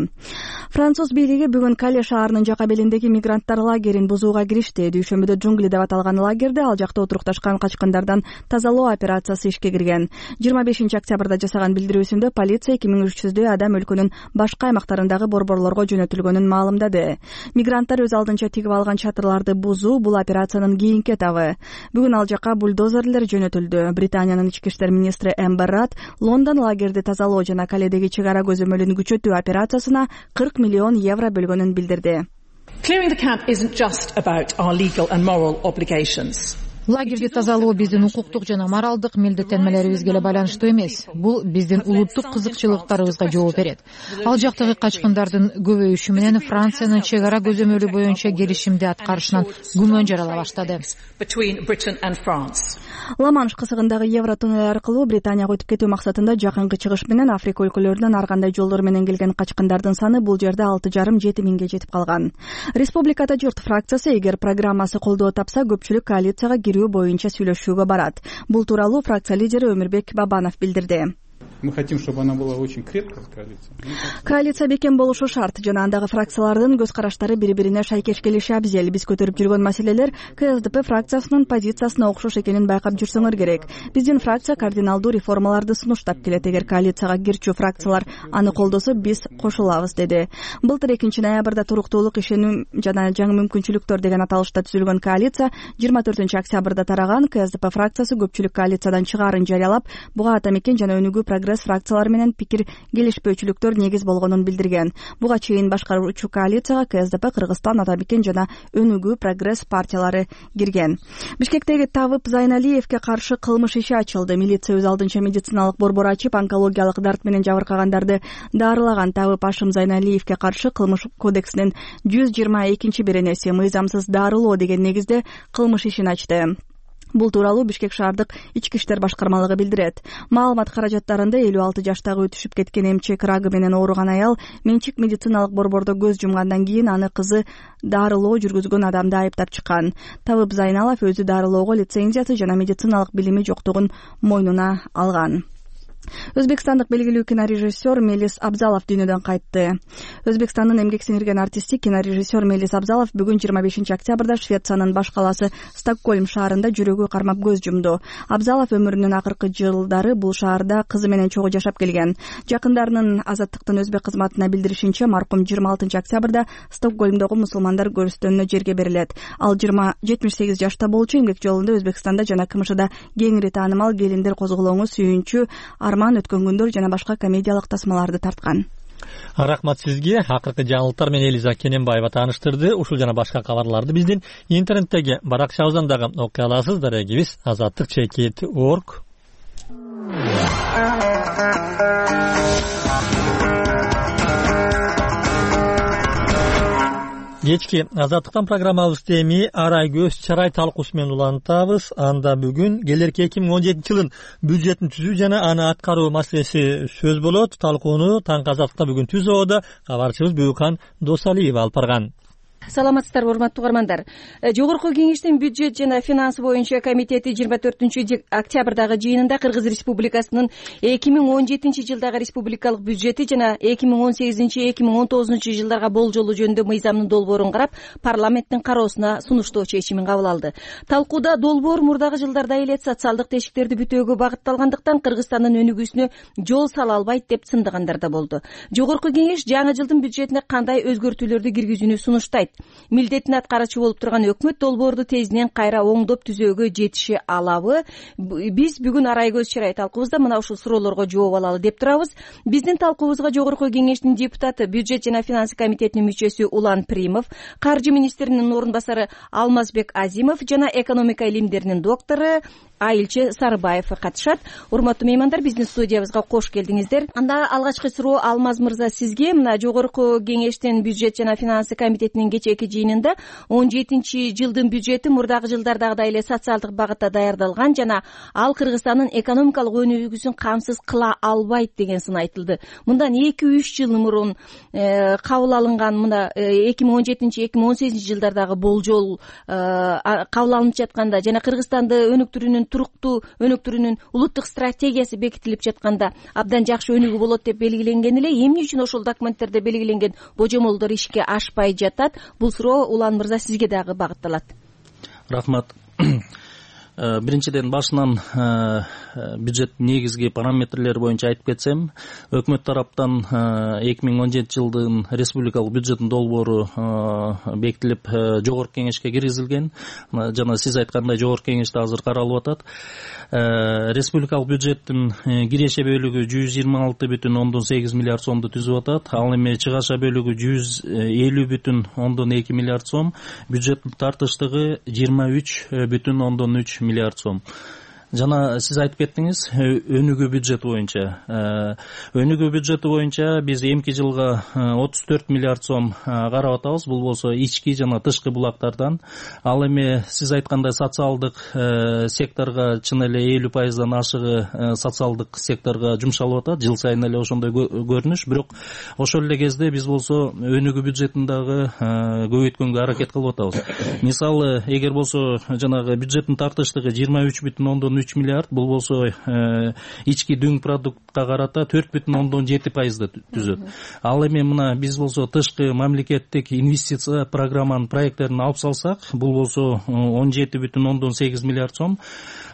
Француз бийлиги бүгүн Кале шаарынын жака белиндеги мигранттар лагерин бузууга киришти. Дүйшөмбүдө джунгли деп аталган лагерде ал жакта отурукташкан качкындардан тазалоо операциясы ишке кирген. жыйырма бешинчи октябрда жасаган билдирүүсүндө полиция эки миң үч жүздөй адам өлкөнүн башка аймактарындагы борборлорго жөнөтүлгөнүн маалымдады. Мигранттар өз алдынча тигип алган чатырларды бузуу бул операциянын кийинки этабы. Бүгүн ал жака бульдозерлер жөнөтүлдү. Британиянын ички иштер министри Эмбер Рад Лондон лагерди тазалоо жана Каледеги чек ара көзөмөлүн күчөтүү операциясына кырк миллион евро бөлгөнүн билдирди. Clearing the camp isn't just about our legal and moral obligations. Лагерди тазалоо биздин укуктук жана моралдык милдеттенмелерибизге эле байланыштуу эмес. Бул биздин улуттук кызыкчылыктарыбызга жооп берет. Ал жактагы качкындардын көбөйүшү менен Франциянын чек ара көзөмөлү боюнча келишимди аткарышынан күмөн жарала баштады. Ла-Манш кысыгындагы Евротуннель аркылуу Британияга өтүп кетүү максатында жакынкы чыгыш менен Африка өлкөлөрүнөн ар кандай жолдор менен келген качкындардын саны бул жерде алты жарым жети миңге жетип калган. Республикада журт фракциясы эгер программасы колдоо тапса, көпчүлүк коалицияга кирүү боюнча сүйлөшүүгө барат. Бул тууралуу фракция лидери Өмүрбек Бабанов билдирди. Мы хотим, чтобы она была очень крепкая коалиция. Коалиция бекем болушу шарт жана андагы фракциялардын көз караштары бири-бирине шайкеш келиши абзел. Биз көтөрүп жүргөн маселелер КСДП фракциясынын позициясына окшош экенин байкап жүрсөңөр керек. Биздин фракция кардиналдуу реформаларды сунуштап келет. Эгер коалицияга кирчү фракциялар аны колдосо, биз кошулабыз, деди. Былтыр экинчи ноябрда туруктуулук, ишеним жана жаңы мүмкүнчүлүктөр деген аталышта түзүлгөн коалиция жыйырма төртүнчү октябрда тараган. КСДП фракциясы көпчүлүк коалициядан чыгаарын жарыялап, буга Ата мекен жана Өнүгүү прогресс фракциялары менен пикир келишпөөчүлүктөр негиз болгонун билдирген. Буга чейин башкаруучу коалицияга КСДП, Кыргызстан, Ата мекен жана Өнүгүү прогресс партиялары кирген. Бишкектеги Тавып Зайналиевке каршы кылмыш иши ачылды. Милиция өз алдынча медициналык борбор ачып, онкологиялык дарт менен жабыркагандарды дарылаган. Тавып Ашым Зайналиевке каршы кылмыш кодексинин жүз жыйырма экинчи беренеси мыйзамсыз дарылоо деген негизде кылмыш ишин ачты. Бул тууралуу Бишкек шаардык ички иштер башкармалыгы билдирет. Маалымат каражаттарында элүү алты жаштагы өтүшүп кеткен эмчек рагы менен ооруган аял менчик медициналык борбордо көз жумгандан кийин аны кызы дарылоо жүргүзгөн адамды айыптап чыккан. Табып Зайналов өзү дарылоого лицензиясы жана медициналык билими жоктугун мойнуна алган. Өзбекстандык белгилүү кинорежиссер Мелис Абзалов дүйнөдөн кайтты. Өзбекстандын эмгек сиңирген артисти кинорежиссер Мелис Абзалов бүгүн жыйырма бешинчи октябрда Швециянын баш калаасы Стокгольм шаарында жүрөгү кармап көз жумду. Абзалов өмүрүнүн акыркы жылдары бул шаарда кызы менен чогуу жашап келген. Жакындарынын Азаттыктын өзбек кызматына билдиришинче, маркум жыйырма алтынчы октябрда Стокгольмдогу мусулмандар көрүстөнүнө жерге берилет. Ал жетимиш сегиз жашта болчу, эмгек жолунда Өзбекстанда жана КМШда кеңири таанымал Келиндер козголоңу, Сүйүнчү, Арман, Өткөн күндөр жана башка комедиялык тасмаларды тарткан. Рахмат сизге. Акыркы жаңылыктар менен Элиза Кененбаева тааныштырды. Ушул жана башка кабарларды биздин интернеттеги баракчабыздан дагы окуй аласыз. Дарегибиз азаттык чекит точка орг. кечки Азаттыктан программабызды эми арай көз чарай талкуусу менен улантабыз. Анда бүгүн келерки эки миң он жетинчи жылдын бюджетин түзүү жана аны аткаруу маселеси сөз болот. Талкууну Таңкы Азаттыкта бүгүн түзүүдө кабарчыбыз Бүйүкхан Досалиева алып барган. Саламатсыздарбы, урматтуу угармандар. Жогорку кеңештин бюджет жана финанс боюнча комитети жыйырма төртүнчү октябрдагы жыйынында Кыргыз Республикасынын эки миң он жетинчи жылдагы республикалык бюджети жана эки миң он сегизинчи эки миң он тогузунчу жылдарга болжолу жөнүндө мыйзамдын долбоорун карап, парламенттин кароосуна сунуштоо чечимин кабыл алды. Талкууда долбоор мурдагы жылдарда эле социалдык тешиктерди бүтөөгө багытталгандыктан Кыргызстандын өнүгүүсүнө жол сала албайт деп сындыгандар да болду. Жогорку кеңеш жаңы жылдын бюджетине кандай өзгөртүүлөрдү киргизүүнү сунуштайт? Милдетин аткаруучу болуп турган өкмөт долбоорду тезинен кайра оңдоп түзөөгө жетише алабы? Биз бүгүн арай көз чарай талкуубузда мына ушул суроолорго жооп алалы деп турабыз. Биздин талкуубузга жогорку кеңештин депутаты, бюджет жана финанс комитетинин мүчөсү Улан Примов, каржы министринин орун басары Алмазбек Азимов жана экономика илимдеринин доктору Айылчы Сарыбаев катышат. Урматтуу меймандар, биздин студиябызга кош келдиңиздер. Анда алгачкы суроо Алмаз мырза сизге. Мына жогорку кеңештин бюджет жана финанс комитетинин кечээки жыйынында он жетинчи жылдын бюджети мурдагы жылдардагыдай эле социалдык багытта даярдалган жана ал Кыргызстандын экономикалык өнүгүүсүн камсыз кыла албайт деген сын айтылды. Мындан эки үч жыл мурун кабыл алынган мына эки миң он жетинчи эки миң он сегизинчи жылдардагы болжол кабыл алынып жатканда жана Кыргызстанды өнүктүрүүнүн туруктуу өнүктүрүүнүн улуттук стратегиясы бекитилип жатканда абдан жакшы өнүгүү болот деп белгиленген эле, эмне үчүн ошол документтерде белгиленген божомолдор ишке ашпай жатат? Бул суроо Улан мырза сизге дагы багытталат. Рахмат. Биринчиден башынан бюджет негизги параметрлери боюнча айтып кетсем, өкмөт тараптан эки миң он жетинчи жылдын республикалык бюджеттин долбоору бекитилип жогорку кеңешке киргизилген. Жана сиз айткандай жогорку кеңеште азыр каралып атат. Республикалык бюджеттин киреше бөлүгү жүз жыйырма алты бүтүн ондон сегиз миллиард сомду түзүп атат. Ал эми чыгаша бөлүгү жүз элүү бүтүн ондон эки миллиард сом, бюджеттин тартыштыгы жыйырма үч бүтүн ондон үч миллиард сом. Жана сиз айтып кеттиңиз, өнүгүү бюджети боюнча. Өнүгүү бюджети боюнча биз эмки жылга отуз төрт миллиард сом карап атабыз. Бул болсо ички жана тышкы булактардан. Ал эми сиз айткандай социалдык секторго чын эле элүү пайыздан ашыгы социалдык секторго жумшалып атат. Жыл сайын эле ошондой көрүнүш. Бирок ошол эле кезде биз болсо өнүгүү бюджетин дагы көбөйткөнгө аракет кылып атабыз. Мисалы, эгер болсо жанагы бюджеттин тартыштыгы жыйырма үч бүтүн ондон үч миллиард, бул болсо ички дүң продуктка карата төрт бүтүн ондон жети пайызды түзөт. Ал эми мына биз болсо тышкы мамлекеттик инвестиция программанын проекттерин алып салсак, бул болсо он жети бүтүн ондон сегиз миллиард сом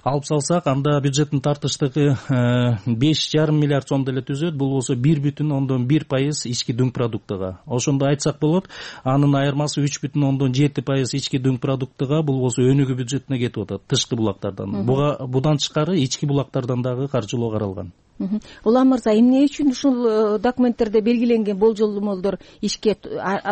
алып салсак, анда бюджеттин тартыштыгы беш жарым миллиард сом деле түзөт. Бул болсо бир бүтүн ондон бир пайыз ички дүң продуктага. Ошондо айтсак болот, анын айырмасы үч бүтүн ондон жети пайыз ички дүң продуктага, бул болсо өнүгүү бюджетине кетип атат, тышкы булактардан. Буга будан тышкары ички булактардан дагы каржылоо каралган. Улан мырза, эмне үчүн ушул документтерде белгиленген болжолдомолдор ишке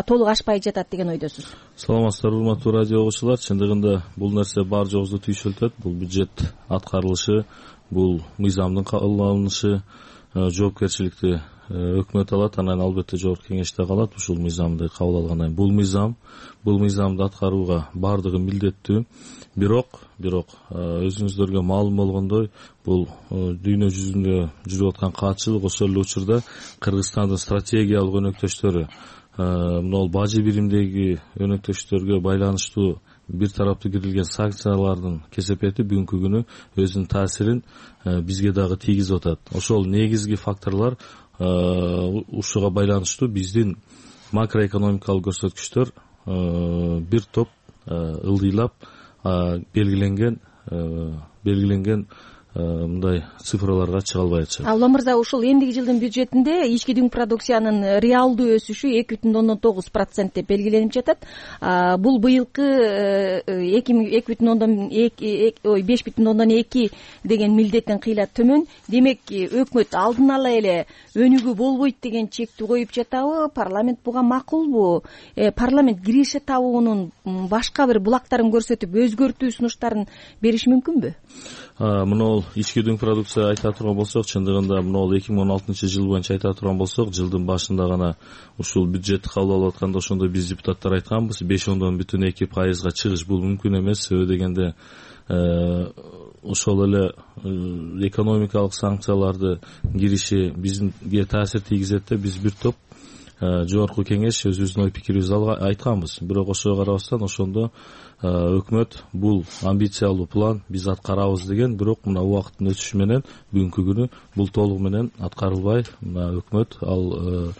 толук ашпай жатат деген ойдосуз? Саламатсыздарбы, урматтуу радио угуучулар. Чындыгында бул нерсе бар жогубузду түйшөлтөт. Бул бюджет аткарылышы, бул мыйзамдын кабыл алынышы, жоопкерчиликти өкмөт алат, анан албетте жогорку кеңеште калат. Ушул мыйзамды кабыл алгандан кийин бул мыйзам, бул мыйзамды аткарууга бардыгы милдеттүү. Бирок, бирок өзүңүздөргө маалым болгондой, бул дүйнө жүзүндө жүрүп аткан каатчылык, ошол эле учурда Кыргызстандын стратегиялык өнөктөштөрү, мына бажы биримдеги өнөктөштөргө байланыштуу бир тараптуу кирилген санкциялардын кесепети бүгүнкү күнү өзүнүн таасирин бизге дагы тийгизип атат. Ошол негизги факторлор ушуга байланыштуу биздин макроэкономикалык көрсөткүчтөр бир топ ылдыйлап белгиленген белгиленген мындай цифрларга чыга албай атышат. Улан мырза, ушул эмдиги жылдын бюджетинде ички дүң продукциянын реалдуу өсүшү эки бүтүн ондон тогуз процент деп белгиленип жатат. Бул быйылкы эки бүтүн ондон ой беш бүтүн ондон эки деген милдеттен кыйла төмөн. Демек, өкмөт алдын ала эле өнүгүү болбойт деген чекти коюп жатабы? Парламент буга макулбу? Парламент киреше табуунун башка бир булактарын көрсөтүп өзгөртүү сунуштарын бериши мүмкүнбү? Мына ички дүң продукция айта турган болсок, чындыгында могул эки миң он алтынчы жыл боюнча айта турган болсок, жылдын башында гана ушул бюджетти кабыл алып атканда ошондо биз депутаттар айтканбыз, беш ондон бүтүн эки пайызга чыгыш бул мүмкүн эмес. Себеби дегенде ошол эле экономикалык санкцияларды кириши бизге таасир тийгизет деп биз бир топ жогорку кеңеш өзүбүздүн ой пикирибизди айтканбыз. Бирок ошого карабастан ошондо өкмөт бул амбициялуу план биз аткарабыз деген, бирок мына убакыттын өтүшү менен бүгүнкү күнү бул толугу менен аткарылбай, мына өкмөт ал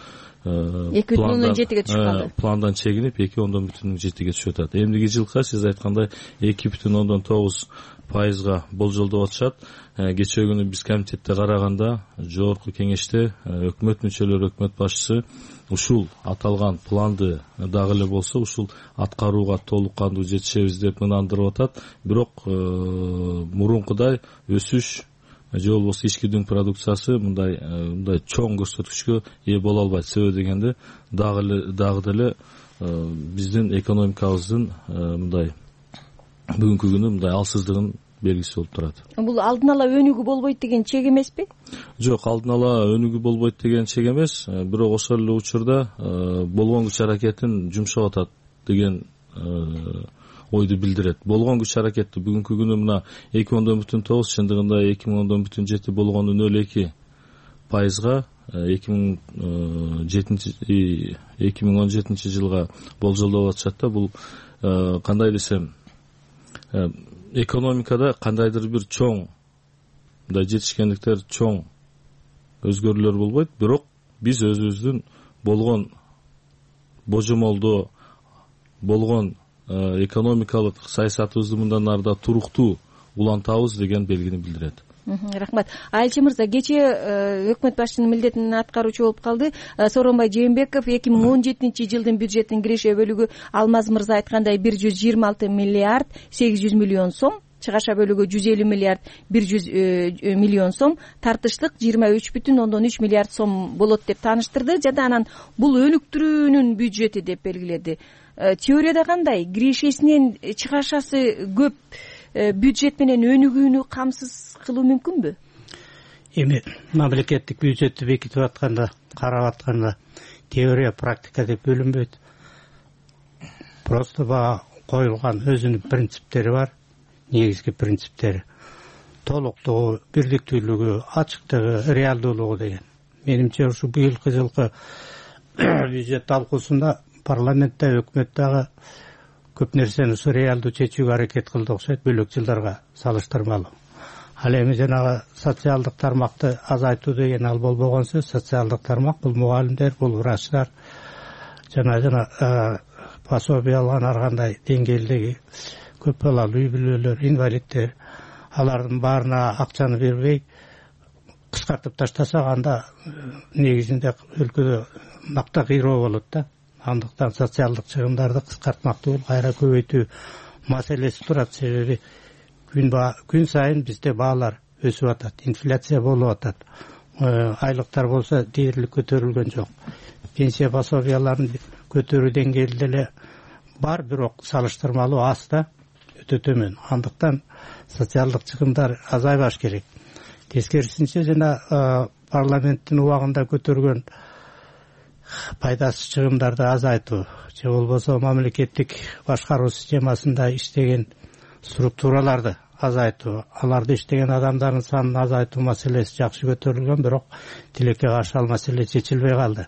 эки бүтүн ондон жетиге түшүп калды. Пландан чегинип эки ондон бүтүн жетиге түшүп атат. Эмдиги жылкы сиз айткандай эки бүтүн ондон тогуз пайызга болжолдоп атышат. Кечээ күнү биз комитетте караганда, жогорку кеңеште өкмөт мүчөлөрү, өкмөт башчысы ушул аталган планды дагы эле болсо ушул аткарууга толук кандуу жетишебиз деп ынандырып атат. Бирок мурункудай өсүш же болбосо ички дүң продукциясы мындай мындай чоң көрсөткүчкө ээ боло албайт. Себеби дегенде дагы эле дагы деле биздин экономикабыздын мындай бүгүнкү күнү мындай алсыздыгын белгиси болуп турат. Бул алдын ала өнүгүү болбойт деген чек эмеспи? Жок, алдын ала өнүгүү болбойт деген чек эмес. Бирок ошол эле учурда болгон күч аракетин жумшап атат деген ойду билдирет. Болгон күч аракетти бүгүнкү күнү мына эки ондон бүтүн тогуз, чындыгында эки миң ондон бүтүн жети болгону нөл эки пайызга эки миң жетинчи эки миң он жетинчи жылга болжолдоп атышат да. Бул кандай десем, экономикада кандайдыр бир чоң мындай жетишкендиктер, чоң өзгөрүүлөр болбойт, бирок биз өзүбүздүн болгон божомолдоо, болгон экономикалык саясатыбызды мындан ары да туруктуу улантабыз деген белгини билдирет. Рахмат. Айылчы мырза, кечээ өкмөт башчынын милдетин аткаруучу болуп калды Сооронбай Жээнбеков. эки миң он жетинчи жылдын бюджеттин киреше бөлүгү Алмаз мырза айткандай бир жүз жыйырма алты миллиард сегиз жүз миллион сом, чыгаша бөлүгү жүз элүү миллиард бир жүз миллион сом, тартыштык жыйырма үч бүтүн ондон үч миллиард сом болот деп тааныштырды. Жада анан бул өнүктүрүүнүн бюджети деп белгиледи. Теорияда кандай? Кирешесинен чыгашасы көп бюджет менен өнүгүүнү камсыз кылуу мүмкүнбү? Эми мамлекеттик бюджетти бекитип атканда, карап атканда теория, практика деп бөлүнбөйт. Просто бага коюлган өзүнүн принциптери бар, негизги принциптери. Толуктугу, бирдиктүүлүгү, ачыктыгы, реалдуулугу деген. Менимче ушу быйылкы жылкы бюджет талкуусунда парламентте, өкмөттөгү көп нерсени ушу реалдуу чечүүгө аракет кылды окшойт, бөлөк жылдарга салыштырмалуу. Ал эми жанагы социалдык тармакты азайтуу деген ал болбогон сөз. Социалдык тармак бул мугалимдер, бул врачтар, жана жана пособие алган ар кандай деңгээлдеги көп балалуу үй бүлөлөр, инвалидтер, алардын баарына акчаны бербей кыскартып таштасак, анда негизинде өлкөдө макта кыйроо болот да. Андыктан социалдык чыгымдарды кыскартмак түгүл, кайра көбөйтүү маселеси турат. Себеби күн күн сайын бизде баалар өсүп атат, инфляция болуп атат. Айлыктар болсо дээрлик көтөрүлгөн жок. Пенсия пособияларын көтөрүү деңгээли деле бар, бирок салыштырмалуу аз да, өтө төмөн. Андыктан социалдык чыгымдар азайбаш керек. Тескерисинче жана парламенттин убагында көтөргөн пайдасыз чыгымдарды азайтуу же болбосо мамлекеттик башкаруу системасында иштеген структураларды азайтуу, аларды иштеген адамдардын санын азайтуу маселеси жакшы көтөрүлгөн, бирок тилекке каршы ал маселе чечилбей калды.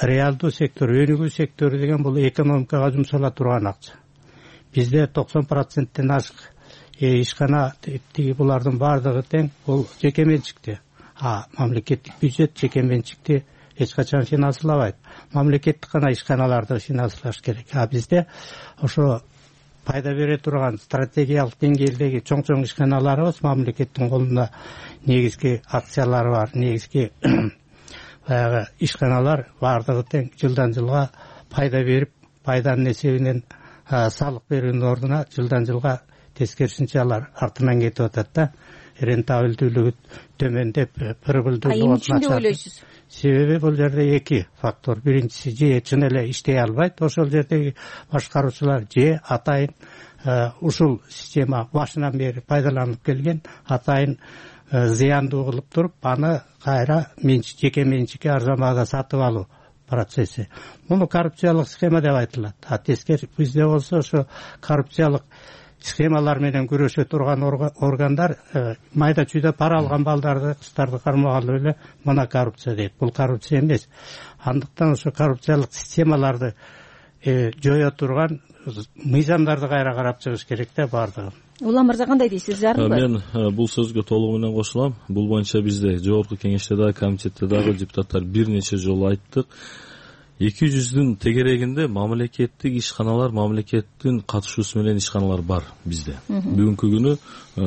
Реалдуу сектор, өнүгүү сектору деген бул экономикага жумшала турган акча. Бизде токсон проценттен ашык ишкана тиги булардын баардыгы тең бул жеке менчикте. А мамлекеттик бюджет жеке менчикти эч качан финансылабайт. Мамлекеттик гана ишканаларды финансылаш керек. А бизде ошо пайда бере турган стратегиялык деңгээлдеги чоң-чоң ишканаларыбыз мамлекеттин колунда негизги акциялары бар, негизги баягы ишканалар баардыгы тең жылдан жылга пайда берип, пайданын эсебинен салык берүүнүн ордуна жылдан жылга тескерисинче алар артынан кетип атат да. Рентабелдүүлүгү төмөндөп, прибылдуулугу. А эмне деп ойлойсуз? Себеби бул жерде эки фактор. Биринчиси же чын эле иштей албайт ошол жердеги башкаруучулар, же атайын ушул система башынан бери пайдаланылып келген, атайын зыяндуу кылып туруп аны кайра жеке менчикке арзан баада сатып алуу процесси. Муну коррупциялык схема деп айтылат. А тескери бизде болсо ошо коррупциялык схемалар менен күрөшө турган органдар майда чүйдө пара алган балдарды, кыздарды кармагалы эле мына коррупция дейт. Бул коррупция эмес. Андыктан ошо коррупциялык системаларды жое турган мыйзамдарды кайра карап чыгыш керек да бардыгы. Улам мырза кандай дейсиз, зарылбы? Мен бул сөзгө толугу менен кошулам. Бул боюнча бизде жогорку кеңеште дагы, комитетте дагы депутаттар бир нече жолу айттык. эки жүздүн тегерегинде мамлекеттик ишканалар, мамлекеттин катышуусу менен ишканалар бар бизде. Бүгүнкү күнү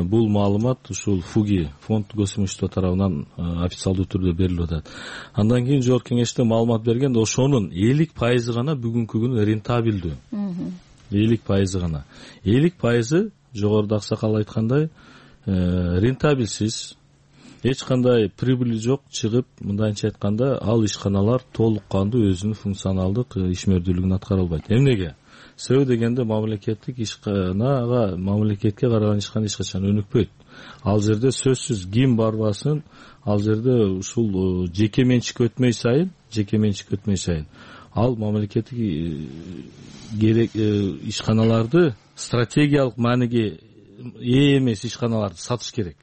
бул маалымат ушул ФУГИ, фонд госимущества тарабынан официалдуу түрдө берилип атат. Андан кийин жогорку кеңеште маалымат бергенде ошонун элүү пайызы гана бүгүнкү күнү рентабелдүү. элүү пайызы гана. элүү пайызы жогоруда аксакал айткандай рентабелсиз, эч кандай прибыли жок чыгып, мындайча айтканда, ал ишканалар толук кандуу өзүнүн функционалдык ишмердүүлүгүн аткара албайт. Эмнеге? Себеби дегенде мамлекеттик ишканага, мамлекетке караган ишкана эч качан өнүкпөйт. Ал жерде сөзсүз ким барбасын, ал жерде ушул жеке менчик өтмөй сайын, жеке менчик өтмөй сайын ал мамлекеттик керек ишканаларды стратегиялык мааниге ээ эмес ишканаларды сатыш керек.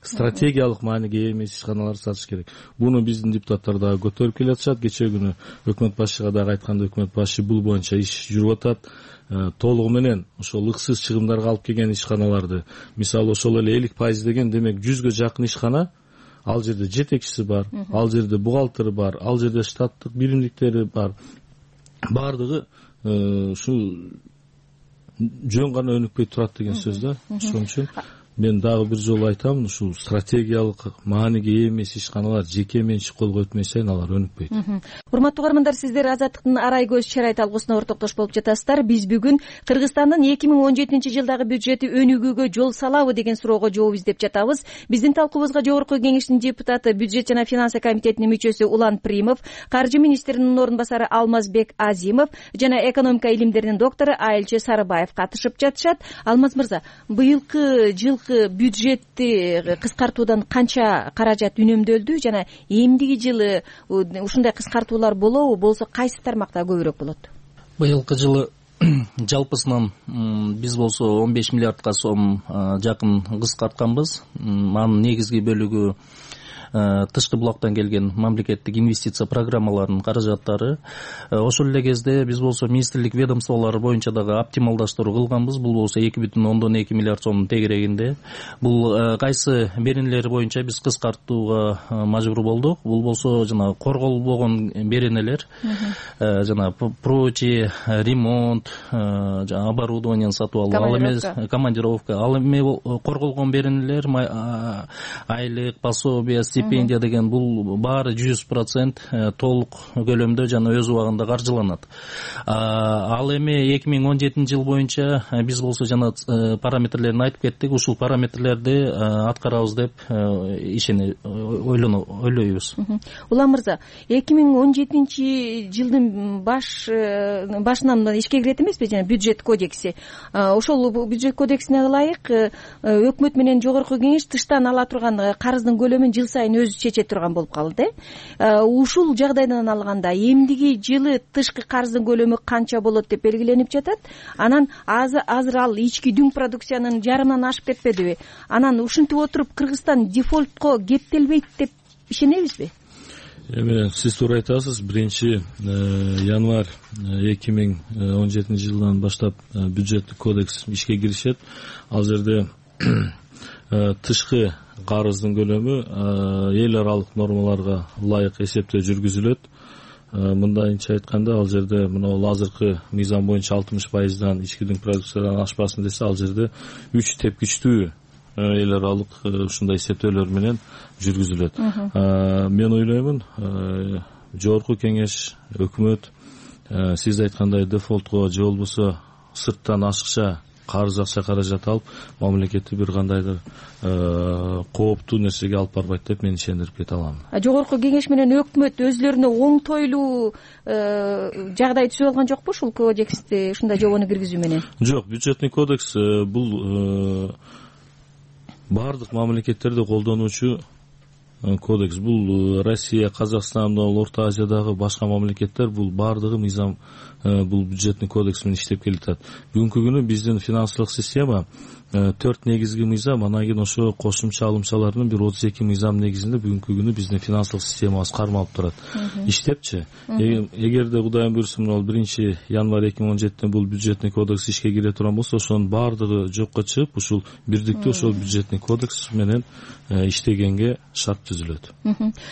Стратегиялык мааниге ээ эмес ишканаларды сатыш керек. Буну биздин депутаттар дагы көтөрүп келатышат. Кече күнү өкмөт башчыга дагы айтканда, өкмөт башчы бул боюнча иш жүрүп атат. Толугу менен ошол ыксыз чыгымдарга алып келген ишканаларды, мисалы ошол эле элүү пайыз деген, демек жүзгө жакын ишкана, ал жерде жетекчиси бар, ал жерде бухгалтери бар, ал жерде штаттык биримдиктери бар. Бардыгы ушул жөн гана өнүкпөй турат деген сөз да. Ошон үчүн мен дагы бир жолу айтам, ушул стратегиялык мааниге ээ эмес ишканалар жеке менчик колго өтмөй сайын алар өнүкпөйт. Урматтуу угармандар, сиздер Азаттыктын арай көз чарай талкуусуна ортоктош болуп жатасыздар. Биз бүгүн Кыргызстандын эки миң он жетинчи жылдагы бюджети өнүгүүгө жол салабы деген суроого жооп издеп жатабыз. Биздин талкуубузга жогорку кеңештин депутаты, бюджет жана финансы комитетинин мүчөсү Улан Примов, каржы министринин орун басары Алмазбек Азимов жана экономика илимдеринин доктору Айылчы Сарыбаев катышып жатышат. Алмаз мырза, быйылкы жыл бюджетти кыскартуудан канча каражат үнөмдөлдү жана эмдиги жылы ушундай кыскартуулар болобу, болсо кайсы тармакта көбүрөөк болот? Быйылкы жылы жалпысынан биз болсо он беш миллиардка сом жакын кыскартканбыз. Анын негизги бөлүгү тышкы булактан келген мамлекеттик инвестиция программаларынын каражаттары. Ошол эле кезде биз болсо министрлик ведомстволору боюнча дагы оптималдаштыруу кылганбыз. Бул болсо эки бүтүн ондон эки миллиард сомдун тегерегинде. Бул кайсы беренелер боюнча биз кыскартууга мажбур болдук. Бул болсо жана корголбогон беренелер, жана прочие, ремонт, жана оборудование сатып алуу, ал эмес командировка, ал эми корголгон беренелер, айлык, пособие, стипендия деген бул баары жүз процент толук көлөмдө жана өз убагында каржыланат. Ал эми эки миң он жетинчи жыл боюнча биз болсо жана параметрлерин айтып кеттик. Ушул параметрлерди аткарабыз деп ишени ойлойбуз. Улан мырза, эки миң он жетинчи жылдын баш башынан ишке кирет эмеспи жана бюджет кодекси? Ошол бюджет кодексине ылайык өкмөт менен жогорку кеңеш тыштан ала турган карыздын көлөмүн жыл сайын өзү чече турган болуп калды. Ушул жагдайдан алганда эмдиги жылы тышкы карыздын көлөмү канча болот деп белгиленип жатат. Анан азыр ал ички дүң продукциянын жарымынан ашып кетпедиби? Анан ушинтип отуруп Кыргызстан дефолтко кептелбейт деп ишенебизби? Эми сиз туура айтасыз. Биринчи январь эки миң он жетинчи жылдан баштап бюджеттик кодекс ишке киришет. Ал жерде тышкы карыздын көлөмү эл аралык нормаларга ылайык эсептөө жүргүзүлөт. Мындайча айтканда, ал жерде мына азыркы мыйзам боюнча алтымыш пайыздан ички дүң продукциядан ашпасын десе, ал жерде үч тепкичтүү эл аралык ушундай эсептөөлөр менен жүргүзүлөт. Мен ойлоймун, жогорку кеңеш, өкмөт сиз айткандай дефолтко же болбосо сырттан ашыкча карыз акча каражат алып мамлекетти бир кандайдыр кооптуу нерсеге алып барбайт деп мен ишендирип кете алам. Жогорку кеңеш менен өкмөт өзлөрүнө оңтойлуу жагдай түзүп алган жокпу ушул кодексти ушундай жобону киргизүү менен? Жок, бюджетный кодекс бул баардык мамлекеттерде колдонуучу кодекс. Бул Россия, Казакстан, Орто Азиядагы башка мамлекеттер бул баардыгы мыйзам бул бюджетный кодекс менен иштеп келатат. Бүгүнкү күнү биздин финансылык система төрт негизги мыйзам, анан кийин ошо кошумча алымчалардын бир отуз эки мыйзам негизинде бүгүнкү күнү биздин финансылык системабыз кармалып турат. Иштепчи. Эгерде Кудайым буйрсун ал биринчи январь эки миң он жетиден бул бюджетный кодекс ишке кире турган болсо, ошонун баардыгы жокко чыгып, ушул бирдиктүү ошол бюджетный кодекс менен иштегенге шарт түзүлөт.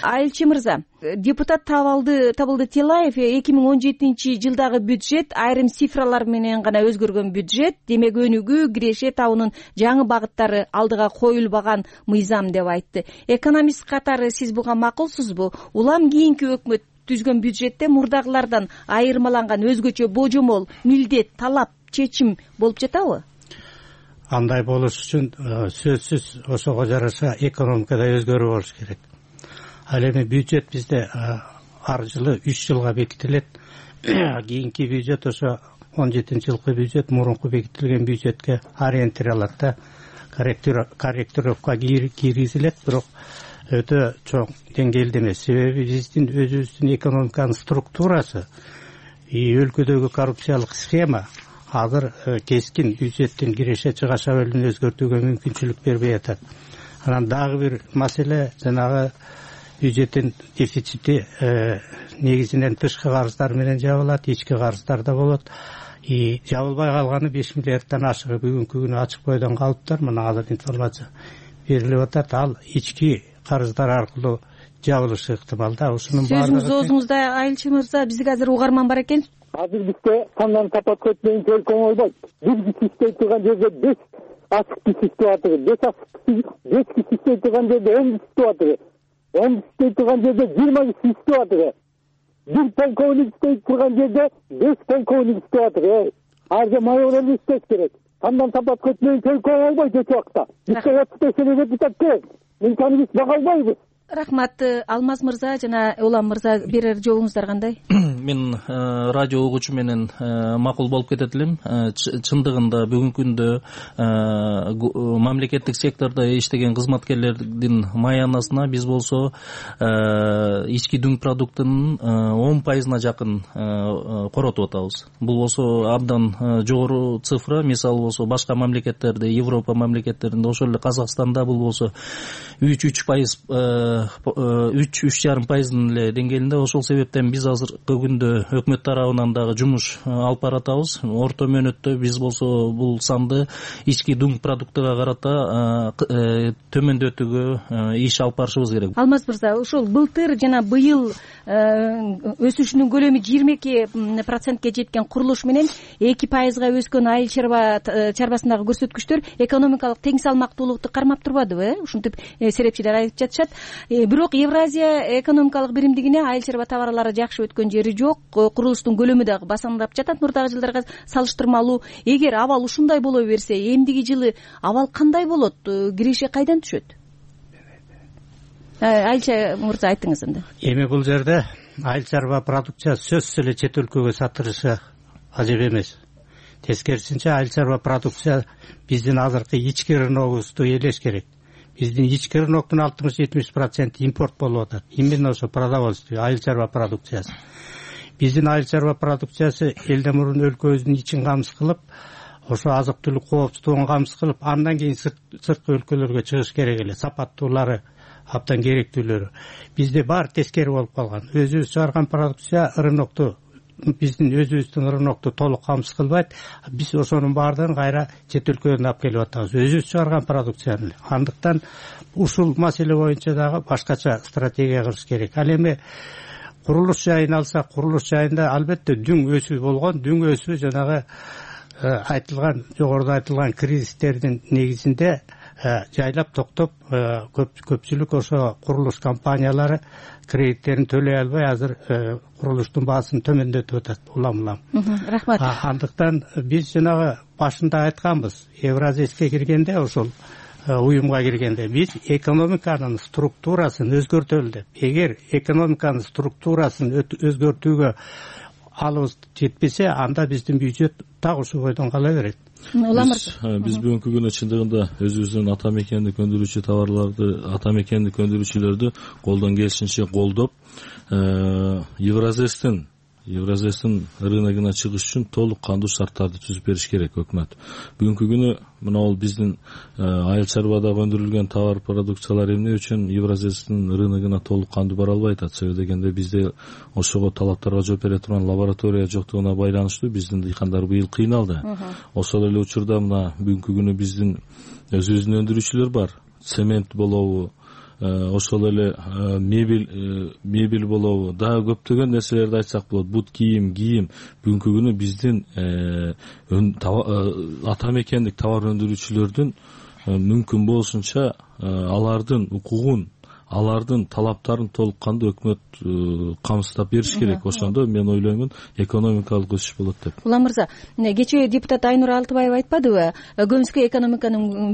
Айылчы мырза, депутат Табылды Табылды Тилаев эки миң он жетинчи жылдагы бюджет айрым цифралар менен гана өзгөргөн бюджет, демек өнүгүү, киреше табуунун жаңы багыттары алдыга коюлбаган мыйзам деп айтты. Экономист катары сиз буга макулсузбу? Улам кийинки өкмөт түзгөн бюджетте мурдагылардан айырмаланган өзгөчө божомол, милдет, талап, чечим болуп жатабы? Андай болуш үчүн сөзсүз ошого жараша экономикада өзгөрүү болуш керек. Ал эми бюджет бизде ар жылы үч жылга бекитилет. Кийинки бюджет ошо он жетинчи жылкы бюджет мурунку бекитилген бюджетке ориентировалат да, корректировка киргизилет, бирок өтө чоң деңгээлде эмес. Себеби биздин өзүбүздүн экономиканын структурасы, өлкөдөгү коррупциялык схема азыр кескин бюджеттин киреше чыгаша бөлүгүн өзгөртүүгө мүмкүнчүлүк бербей атат. Анан дагы бир маселе, жанагы бюджеттин дефицити негизинен тышкы карыздар менен жабылат, ички карыздар да болот. И жабылбай калганы беш миллиардтан ашыгы бүгүнкү күнү ачык бойдон калыптыр. Мына азыр информация берилип атат. Ал ички карыздар аркылуу жабылышы ыктымал да. Ушунун баардыгы сөзүңүз оозуңузда Айылчы мырза, бизге азыр угарман бар экен. Азыр бизде кандан тапат көтмөйүн төлкөн ойбойт. Бир киши иштей турган жерде беш ачык киши иштеп атыр. Беш ачык киши, беш киши иштей турган жерде он киши иштеп атыр. он киши иштей турган жерде жыйырма киши иштеп атыр. Бир полковник иштей турган жерде беш полковник иштеп атыр. Арда майор иштеш керек. Кандан тапат көтмөйүн төлкөн ойбойт өтө убакта. Бизде отуз беш депутат керек. Мынтаны биз бага албайбыз. Рахмат. Алмаз мырза жана Улам мырза, берер жообуңуздар кандай? Мен радио угуучу менен макул болуп кетет элем. Чындыгында бүгүнкү күндө мамлекеттик сектордо иштеген кызматкерлердин маянасына биз болсо ички дүң продуктунун он пайызына жакын коротуп атабыз. Бул болсо абдан жогору цифра. Мисалы болсо башка мамлекеттерде, Европа мамлекеттеринде, ошол эле Казакстанда бул болсо үч үч пайыз үч үч жарым пайыздын эле деңгээлинде. Ошол себептен биз азыркы күндө өкмөт тарабынан дагы жумуш алып баратабыз. Орто мөөнөттө биз болсо бул санды ички дүң продуктуга карата төмөндөтүүгө иш алып барышыбыз керек. Алмаз мырза, ушул былтыр жана быйыл өсүшүнүн көлөмү жыйырма эки процентке жеткен курулуш менен эки пайызга өскөн айыл чарба чарбасындагы көрсөткүчтөр экономикалык тең салмактуулукту кармап турбадыбы? Ушинтип серепчилер айтып жатышат. Бирок Евразия экономикалык биримдигине айыл чарба товарлары жакшы өткөн жери жок. Курулуштун көлөмү дагы басаңдап жатат мурдагы жылдарга салыштырмалуу. Эгер абал ушундай боло берсе, эмдиги жылы абал кандай болот? Киреше кайдан түшөт? Айылчы мырза, айтыңыз энди. Эми бул жерде айыл чарба продукциясы сөзсүз эле чет өлкөгө сатылышы ажеп эмес. Тескерисинче айыл чарба продукция биздин азыркы ички рыногубузду ээлеш керек. Биздин ички рыноктун алтымыш жетимиш проценти импорт болуп атат. Именно ошо продовольствие, айыл чарба продукциясы. Биздин айыл чарба продукциясы элден мурун өлкөбүздүн ичин камсыз кылып, ошо азык түлүк коопсуздугун камсыз кылып, андан кийин сырткы өлкөлөргө чыгыш керек эле. Сапаттуулары, абдан керектүүлөрү. Бизде баары тескери болуп калган. Өзүбүз чыгарган продукция рынокту, биздин өзүбүздүн рынокту толук камсыз кылбайт. Биз ошонун баардыгын кайра чет өлкөдөн алып келип атабыз. Өзүбүз чыгарган продукцияны. Андыктан ушул маселе боюнча дагы башкача стратегия кылыш керек. Ал эми курулуш жайын алсак, курулуш жайында албетте дүң өсүү болгон. Дүң өсүү жанагы айтылган, жогоруда айтылган кризистердин негизинде жайлап токтоп көпчүлүк ошо курулуш компаниялары кредиттерин төлөй албай азыр курулуштун баасын төмөндөтүп атат улам улам. Рахмат. Андыктан биз жанагы башында айтканбыз, Евразийске киргенде, ошол уюмга киргенде биз экономиканын структурасын өзгөртөлү деп. Эгер экономиканын структурасын өзгөртүүгө алыбыз жетпесе, анда биздин бюджет так ушул бойдон кала берет. Биз бүгүнкү күнү чындыгында өзүбүздүн ата мекендик өндүрүүчү товарларды, ата мекендик өндүрүүчүлөрдү колдон келишинче колдоп, Евразестин Евразестин рыногуна чыгыш үчүн толук кандуу шарттарды түзүп бериш керек өкмөт. Бүгүнкү күнү мына бул биздин айыл чарбадагы өндүрүлгөн товар продукциялар эмне үчүн Евразестин рыногуна толук кандуу бара албай атат? Себеби дегенде бизде ошого талаптарга жооп бере турган лаборатория жоктугуна байланыштуу биздин дыйкандар быйыл кыйналды. Ошол эле учурда мына бүгүнкү күнү биздин өзүбүздүн өндүрүүчүлөр бар. Цемент болобу, ошол эле мебель мебель болобу, дагы көптөгөн нерселерди айтсак болот. Бут кийим, кийим бүгүнкү күнү биздин ата мекендик товар өндүрүүчүлөрдүн мүмкүн болушунча алардын укугун, алардын талаптарын толук кандуу өкмөт камсыздап бериш керек. Ошондо мен ойлоймун экономикалык өсүш болот деп. Улам мырза, кечээ депутат Айнур Алтыбаева айтпадыбы, көмүскө экономиканын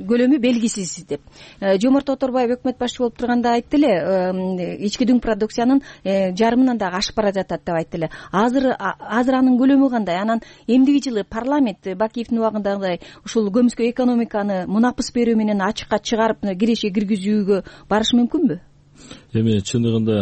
көлөмү белгисиз деп. Жомарт Оторбаев өкмөт башчы болуп турганда айтты эле, ички дүң продукциянын жарымынан дагы ашып бара жатат деп айтты эле. Азыр азыр анын көлөмү кандай? Анан эмдиги жылы парламент Бакиевдин убагындагыдай ушул көмүскө экономиканы мунапыс берүү менен ачыкка чыгарып киреше киргизүүгө барыш мүмкүнбү? Эми чындыгында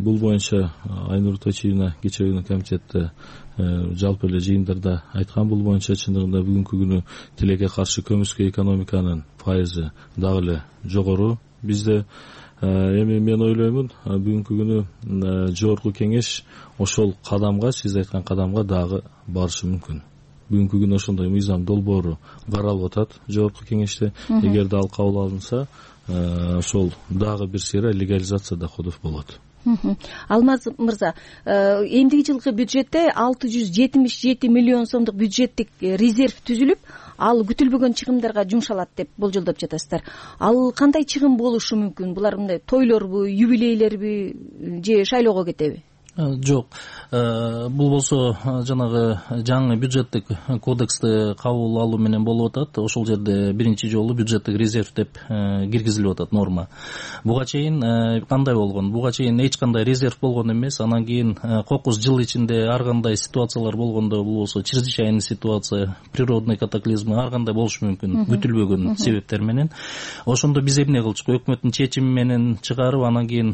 бул боюнча Айнур Точиевна кечээ күнү комитетте жалпы эле жыйындарда айткан. Бул боюнча чындыгында бүгүнкү күнү тилекке каршы көмүскө экономиканын пайызы дагы эле жогору бизде. Эми мен ойлоймун бүгүнкү күнү жогорку кеңеш ошол кадамга, сиз айткан кадамга дагы барышы мүмкүн. Бүгүнкү күнү ошондой мыйзам долбоору каралып атат жогорку кеңеште. Эгерде ал кабыл алынса, ошол дагы бир сыйра легализация доходов болот. Алмаз мырза, эмдиги жылкы бюджетте алты жүз жетимиш жети миллион сомдук бюджеттик резерв түзүлүп, ал күтүлбөгөн чыгымдарга жумшалат деп болжолдоп жатасыздар. Ал кандай чыгым болушу мүмкүн? Булар мындай тойлорбу, юбилейлерби же шайлоого кетеби? Жок. Бул болсо жанагы жаңы бюджеттик кодексти кабыл алуу менен болуп атат. Ошол жерде биринчи жолу бюджеттик резерв деп киргизилип атат норма. Буга чейин кандай болгон? Буга чейин эч кандай резерв болгон эмес. Анан кийин кокус жыл ичинде ар кандай ситуациялар болгондо, бул болсо чрезвычайный ситуация, природный катаклизмы ар кандай болушу мүмкүн, күтүлбөгөн себептер менен. Ошондо биз эмне кылчук? Өкмөттүн чечими менен чыгарып, анан кийин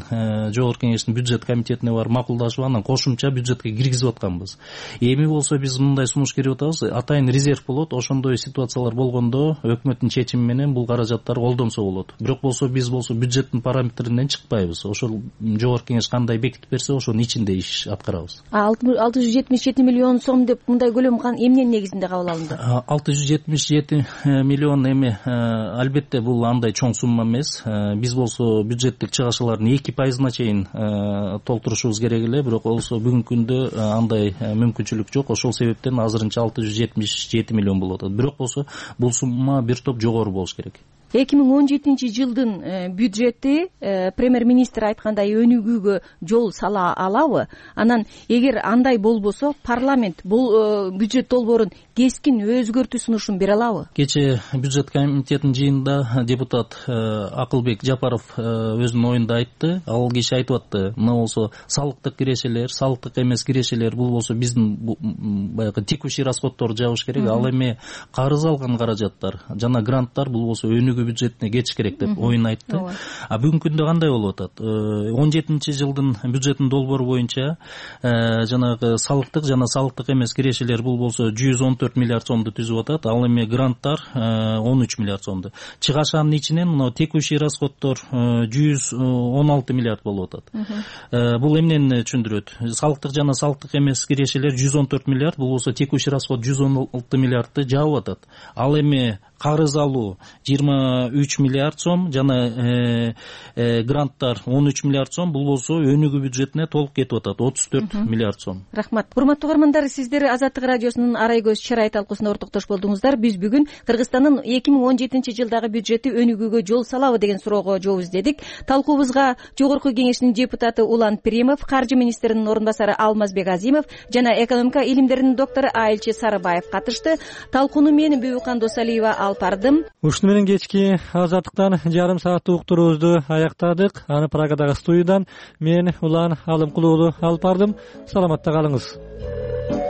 жогорку кеңештин бюджет комитетине барып макулдашып, анан кошумча бюджетке киргизип атканбыз. Эми болсо биз мындай сунуш берип атабыз. Атайын резерв болот. Ошондой ситуациялар болгондо өкмөттүн чечими менен бул каражаттар колдонсо болот. Бирок болсо биз болсо бюджеттин параметринен чыкпайбыз. Ошол жогорку кеңеш кандай бекитип берсе, ошонун ичинде иш аткарабыз. алты жүз жетимиш жети миллион сом деп мындай көлөм эмненин негизинде кабыл алынды? алты жүз жетимиш жети миллион эми албетте бул андай чоң сумма эмес. Биз болсо бюджеттик чыгашылардын эки пайызына чейин толтурушубуз керек эле. Бирок болсо бүгүнкү күндө андай мүмкүнчүлүк жок. Ошол себептен азырынча алты жүз жетимиш жети миллион болуп атат. Бирок болсо бул сумма бир топ жогору болуш керек. эки миң он жетинчи жылдын бюджети премьер-министр айткандай өнүгүүгө жол сала алабы? Анан эгер андай болбосо, парламент бул бюджет долбоорун кескин өзгөртүү сунушун бере алабы? Кечээ бюджет комитетинин жыйынында депутат Акылбек Жапаров өзүнүн оюнда айтты. Ал киши айтып атты, мына болсо салыктык кирешелер, салыктык эмес кирешелер, бул болсо биздин баягы текущий расходторду жабыш керек. Ал эми карыз алган каражаттар жана гранттар бул болсо өнүгүү бюджетине кетиш керек деп оюн айтты. А бүгүнкү күндө кандай болуп атат? он жетинчи жылдын бюджеттин долбоору боюнча жанагы салыктык жана салыктык эмес кирешелер бул болсо жүз он төрт миллиард сомду түзүп атат. Ал эми гранттар он үч миллиард сомду. Чыгашанын ичинен мына текущий расходтор жүз он алты миллиард болуп атат. Бул эмнени түшүндүрөт? Салыктык жана салыктык эмес кирешелер жүз он төрт миллиард, бул болсо текущий расход жүз он алты миллиардты жаап атат. Ал эми карыз алуу жыйырма үч миллиард сом жана гранттар он үч миллиард сом. Бул болсо өнүгүү бюджетине толук кетип атат, отуз төрт миллиард сом. Рахмат. Урматтуу угармандар, сиздер Азаттык радиосунун Арай көз чырай талкуусуна ортоктош болдуңуздар. Биз бүгүн Кыргызстандын эки миң он жетинчи жылдагы бюджети өнүгүүгө жол салабы деген суроого жооп издедик. Талкуубузга Жогорку Кеңештин депутаты Улан Пиримов, Каржы министринин орун басары Алмазбек Азимов жана экономика илимдеринин доктору Айылчы Сарыбаев катышты. Талкууну мен Бүбүкан Досалиева алып бардым. Ушуну менен кечки Азаттыктан жарым сааттык уктуруубузду аяктадык. Аны Прагадагы студиядан мен Улан Алымкулуулу алып бардым. Саламатта калыңыз.